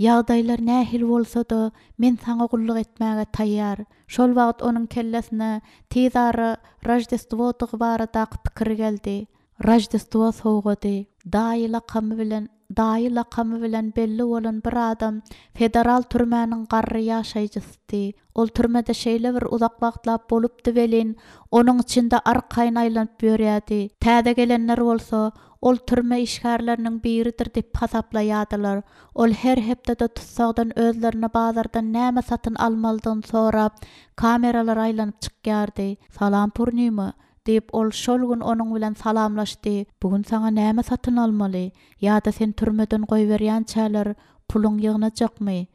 Ýagdaýlar nähili bolsa-da, men saňa gulluk etmäge taýýar. Şol wagt onuň kellesine tiz ara Roždestwodygy baradaky pikir geldi. Roždestwo sowgady. Daýy lakamy bilen Daýy lakamy bilen belli bolan bir adam federal türmäniň garry ýaşaýjysydy. Ol türmede şeýle bir uzak wagtlap bolupdy welin, onuň içinde arkaýyn aýlanyp ýörýärdi. Täze gelenler bolsa, ol türme işgärleriniň biridir diýip hasaplaýardylar. Ol her hepdede tussagdan özlerine bazardan näme satyn almalydygyny sorap, kameralara aýlanyp çykýardy. "Salam Purnima" diýip ol şol gün onuň bilen salamlaşdy. "Bu gün saňa näme satyn almaly? Ýa-da sen türmeden goýberýänçäler puluň ýygnajakmy?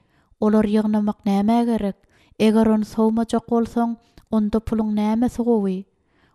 Olar ýygnamak nämä gerek? Eger ony sowmajak bolsaň, onda puluň nämesi gowy?"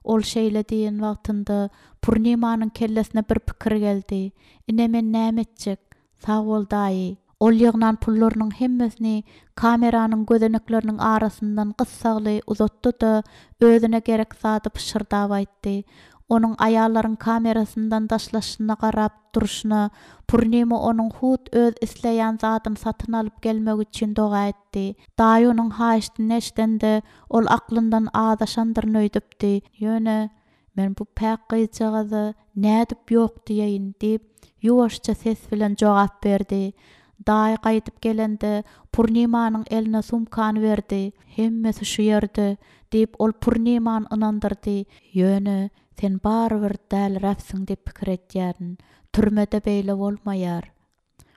Ol şeýle diýen wagtynda Purnimanyň kellesine bir pikir geldi. "Ine men näme etjek? Sag bol daýy." Ol ýygnan pullarynyň hemmesini kameranyň gözenekleriniň arasyndan gyssagly uzatdy-da, özüne gerek zady pyşyrdap aýtdy. Onuň aýallaryň kamerasyndan daşlaşyna garap durşuna Purnima onuň hut öz isleýän zadyny satyn alyp gelmek üçin doga etdi. Daýy onuň haýyşdyny eşidende, ol aklyndan azaşandyryn öýdüpdi. Ýöne "Men bu päk gyzjagaza nädip ýok diýeýin" diýip, ýuwaşja ses bilen jogap berdi. Daýy gaýdyp gelende Purnimanyň eline sumkany berdi. "Hemmesi şu ýerde" diýip ol Purnimany ynandyrdy. "Ýöne sen barybir däliräpsiň diýip pikir edýärin. Türmede beýle bolmaýar."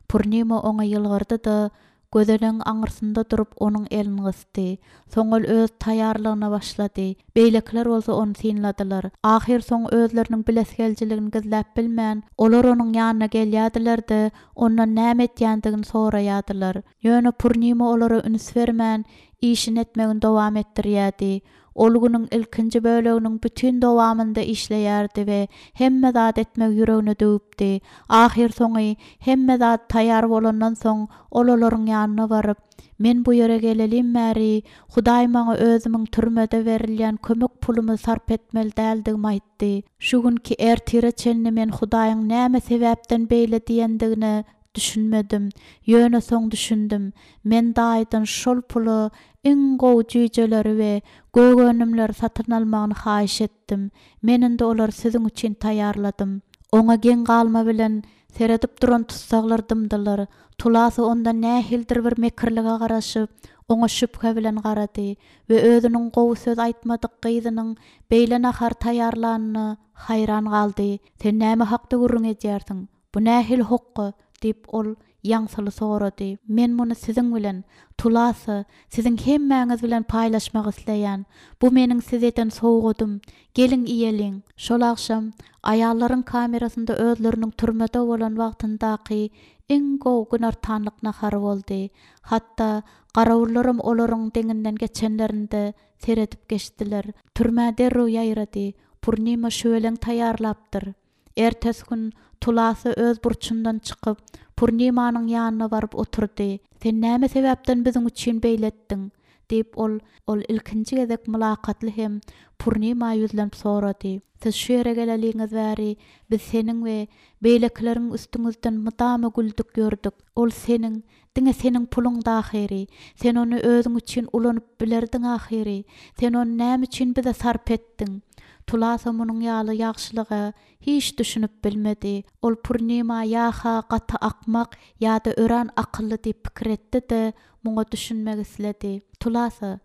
Purnima oňa ýylgyrdy-da, gözenegiň aňyrsynda durup onuň elini gysdy. Soň ol öz taýýarlygyna başlady. Beýlekiler bolsa ony synladylar. Ahyr soň özleriniň bilesigeljiligini gizläp bilmän, olar onuň ýanyna gelýärdiler-de, ondan näme etýändigini soraýardylar. Ýöne Purnima olara üns bermän, işini etmegini dowam etdirýärdi. Ol günüň ilkinji böleginiň bütün dowamynda işleýärdi we hemme zat etmegi ýüregine döwüpdi. Ahyr soňy hemme zat taýýar bolandan soň ol olaryň ýanyna baryp, "Men bu ýere gelelim bäri, Hudaý maňa özümiň türmede berilýän kömek pulumy sarp etmeli däldigimi aýtdy. Şu günki ertire çenli men Hudaýyň näme sebäpden beýle diýendigine düşünmedim. Ýöne soň düşündim. Men daýydan şol pula iň gowy jüýjeleri we gök önümleri satyn almagyny haýyş etdim. Men indi olary siziň üçin taýýarladym." Oňa geň galma bilen seredip duran tussaglar dymdylar. Tulasa ondan nähilidir bir mekirlige garaşyp, oňa şübhe bilen garady we özüniň gowy söz aýtmadyk gyzynyň beýle nahar taýýarlanyna haýran galdy. "Sen näme hakda gürrüň edýärsiň? Bu nähili hokga?" diýip ol ýaňsyly sorady. "Men muny siziň bilen, Tulasa, siziň hemmäňiz bilen paýlaşmak isleýän. Bu meniň size eden sowgadym. Geliň iýeliň." Şol agşam aýallaryň kamerasynda özleriniň türmede bolan wagtyndaky iň gowy günortanlyk nahary boldy. Hatda garawullaram olaryň deňinden geçenlerinde seredip geçdiler. Türmä derrew ýaýrady. Purnima şüweleň taýýarlapdyr. Ertesi gün Tulasa öz burçundan çykyp, Purnimanyň ýanyna baryp oturdy. "Sen näme sebäpden biziň üçin beýle etdiň?" diýip ol ol ilkinji gezek mylakatly hem Purnima ýüzlenip sorady. "Siz şu ýere geleliňiz bäri biz seniň we beýlekileriň üstüňizden mydama güldük ýördük. Ol seniň, diňe seniň puluň dahyry. Sen ony özüň üçin ulanyp bilerdiň ahyry. Sen ony näme üçin bize sarp etdiň?" Tulasa munuň ýaly ýagşylyga hiç düşünip bilmedi. Ol Purnima ýa-ha gaty akmak ýa-da örän akylly diýip pikir etdi-de, muňa düşünmek isledi. "Tulasa,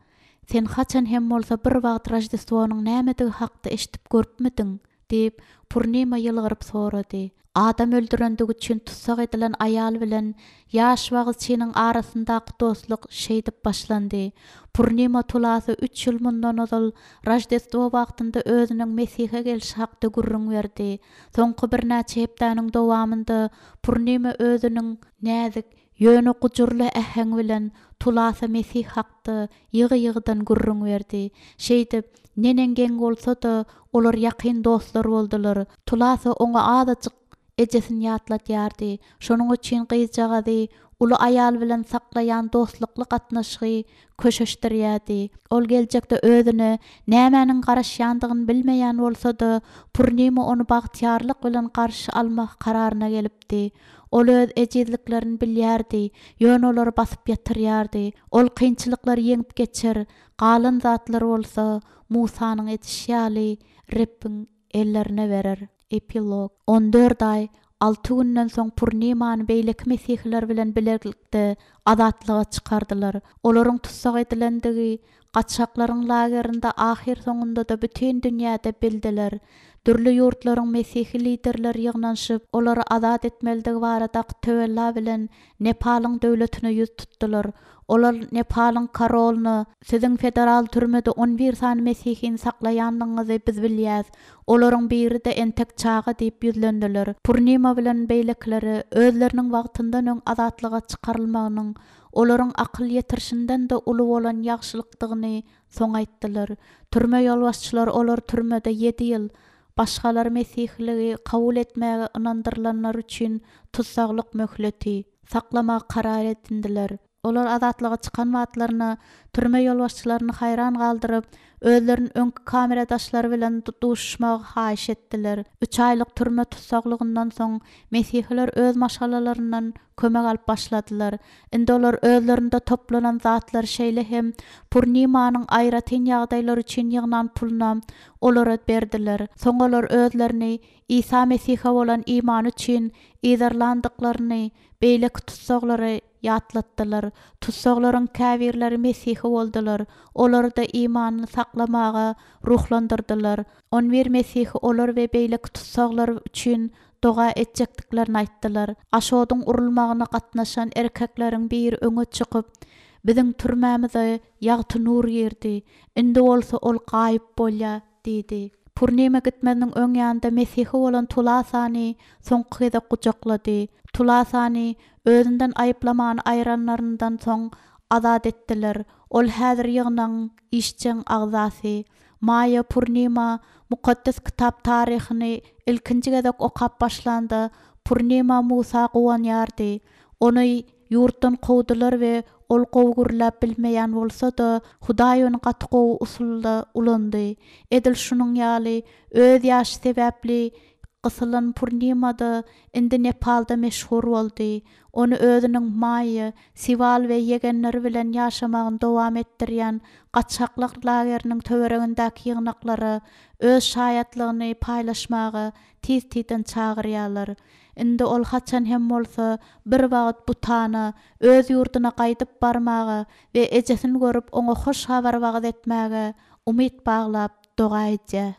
sen haçan hem bolsa bir wagt Roždestwonyň nämedigi hakda eşidip görüpmidiň?" diýip Purnima ýylgyryp sorady. Adam öldürendigi üçin tussag edilen aýal bilen ýaş wagyzçynyň arasyndaky dostluk şeýdip başlandy. Purnima Tulasa üç ýyl mundan ozal Roždestwo wagtynda özüniň Mesihe gelşi hakda gürrüň berdi. Soňky birnäçe hepdäniň dowamynda Purnima özüniň näzik, ýöne gujurly äheň bilen Tulasa Mesih hakda ýygy-ýygydan gürrüň berdi. Şeýdip, neneň geň bolsa-da, olar ýakyn dostlar boldular. Tulasa oňa azajyk ejesini ýatlatýardy. Şonuň üçin gyzjagazy uly aýal bilen saklaýan dostlukly gatnaşygy köşeşdirýärdi. Ol geljekde özüne nämäniň garaşýandygyny bilmeýän bolsa-da, Purnima ony bagtyýarlyk bilen garşy almak kararyna gelipdi. Ol öz ejizliklerini bilýärdi, ýöne olary basyp ýatyrýardy. Ol kynçylyklary ýeňip geçer, galan zatlar bolsa Musanyň edişi ýaly Rebbiň ellerine berer. Epilog. On dört aý Alty günden soň Purnimany beýleki mesihiler bilen bilelikde azatlyga çykardylar. Olaryň tussag edilendigi gaçaklaryň lagerinde ahyrsoňunda-da bütin dünýäde bildiler. Dürli ýurtlaryň mesihi liderleri ýygnanyşyp, olary azat etmelidigi baradaky töwella bilen Nepalyň döwletine ýüz tutdular. Olar Nepalyň korolyna "Siziň federal türmede on bir sany mesihini saklaýandygyňyzy biz bilýäs. Olaryň biri-de entek çaga" diýip ýüzlendiler. Purnima bilen beýlekileri özleriniň wagtyndan öň azatlyga çykarylmagynyň olaryň akyl ýetirişinden-de uly bolan ýagşylykdygyny soň aýtdylar. Türme ýolbaşçylary olar türmede ýedi ýyl, başgalary mesihiligi kabul etmäge ynandyrylanlar üçin tussaglyk möhleti saklamagy karar edindiler. Olar azatlyga çykan wagtlaryna türme ýolbaşçylaryny haýran galdyryp, özleriniň öňki kameradaşlary bilen duşuşmagy haýyş etdiler. Üç aýlyk türme tussaglygyndan soň mesihiler öz maşgalalaryndan kömek alyp başladylar. Indi olar özlerinde toplanan zatlary şeýle hem Purnimanyň aýratyn ýagdaýlar üçin ýygnan puluna olara berdiler. Soň olar özlerini Isa Mesihe bolan imany üçin yzarlandyklaryny beýleki tussaglary ýatlatdylar. Tussaglaryň käbirleri mesihi boldular. Olary-da imanyny saklamaga ruhlandyrdylar. On bir mesihi olar we beýleki tussaglar üçin doga etjekdiklerini aýtdylar. Aşodyň urulmagyna gatnaşan erkekleriň biri öňe çykyp, "Biziň türmämize ýagty nur girdi. Indi bolsa ol gaýyp bolýar" diýdi. Purnima gitmeziniň öň ýanynda mesihi bolan Tulasany soňky gezek gujaklady. Tulasany özünden aýyplamany aýranlaryndan soň azat etdiler. Ol häzir ýygnagyň işjeň agzasy. Maýa Purnima mukaddes kitap taryhyny ilkinji gezek okap başlanda Purnima Musa guwanýardy. Ony ýurtdan kowdular we ol gowy gürläp bilmeýän bolsa-da, Hudaý ony gaty gowy usulda ulandy. Edil şunuň ýaly öz ýaşy sebäpli gysylan Purnima-da indi Nepalda meşhur boldy. Ony özüniň Maýa, Siwal we ýegenleri bilen ýaşamagyny dowam etdirýän gaçaklyk lageriniň töweregindäki ýygnaklara öz şaýatlygyny paýlaşmaga tiz-tizden çagyrýarlar. Indi ol haçan hem bolsa bir wagt Butana, öz ýurduna gaýdyp barmaga we ejesini görüp oňa hoş habar wagyz etmäge umyt baglap doga edýär.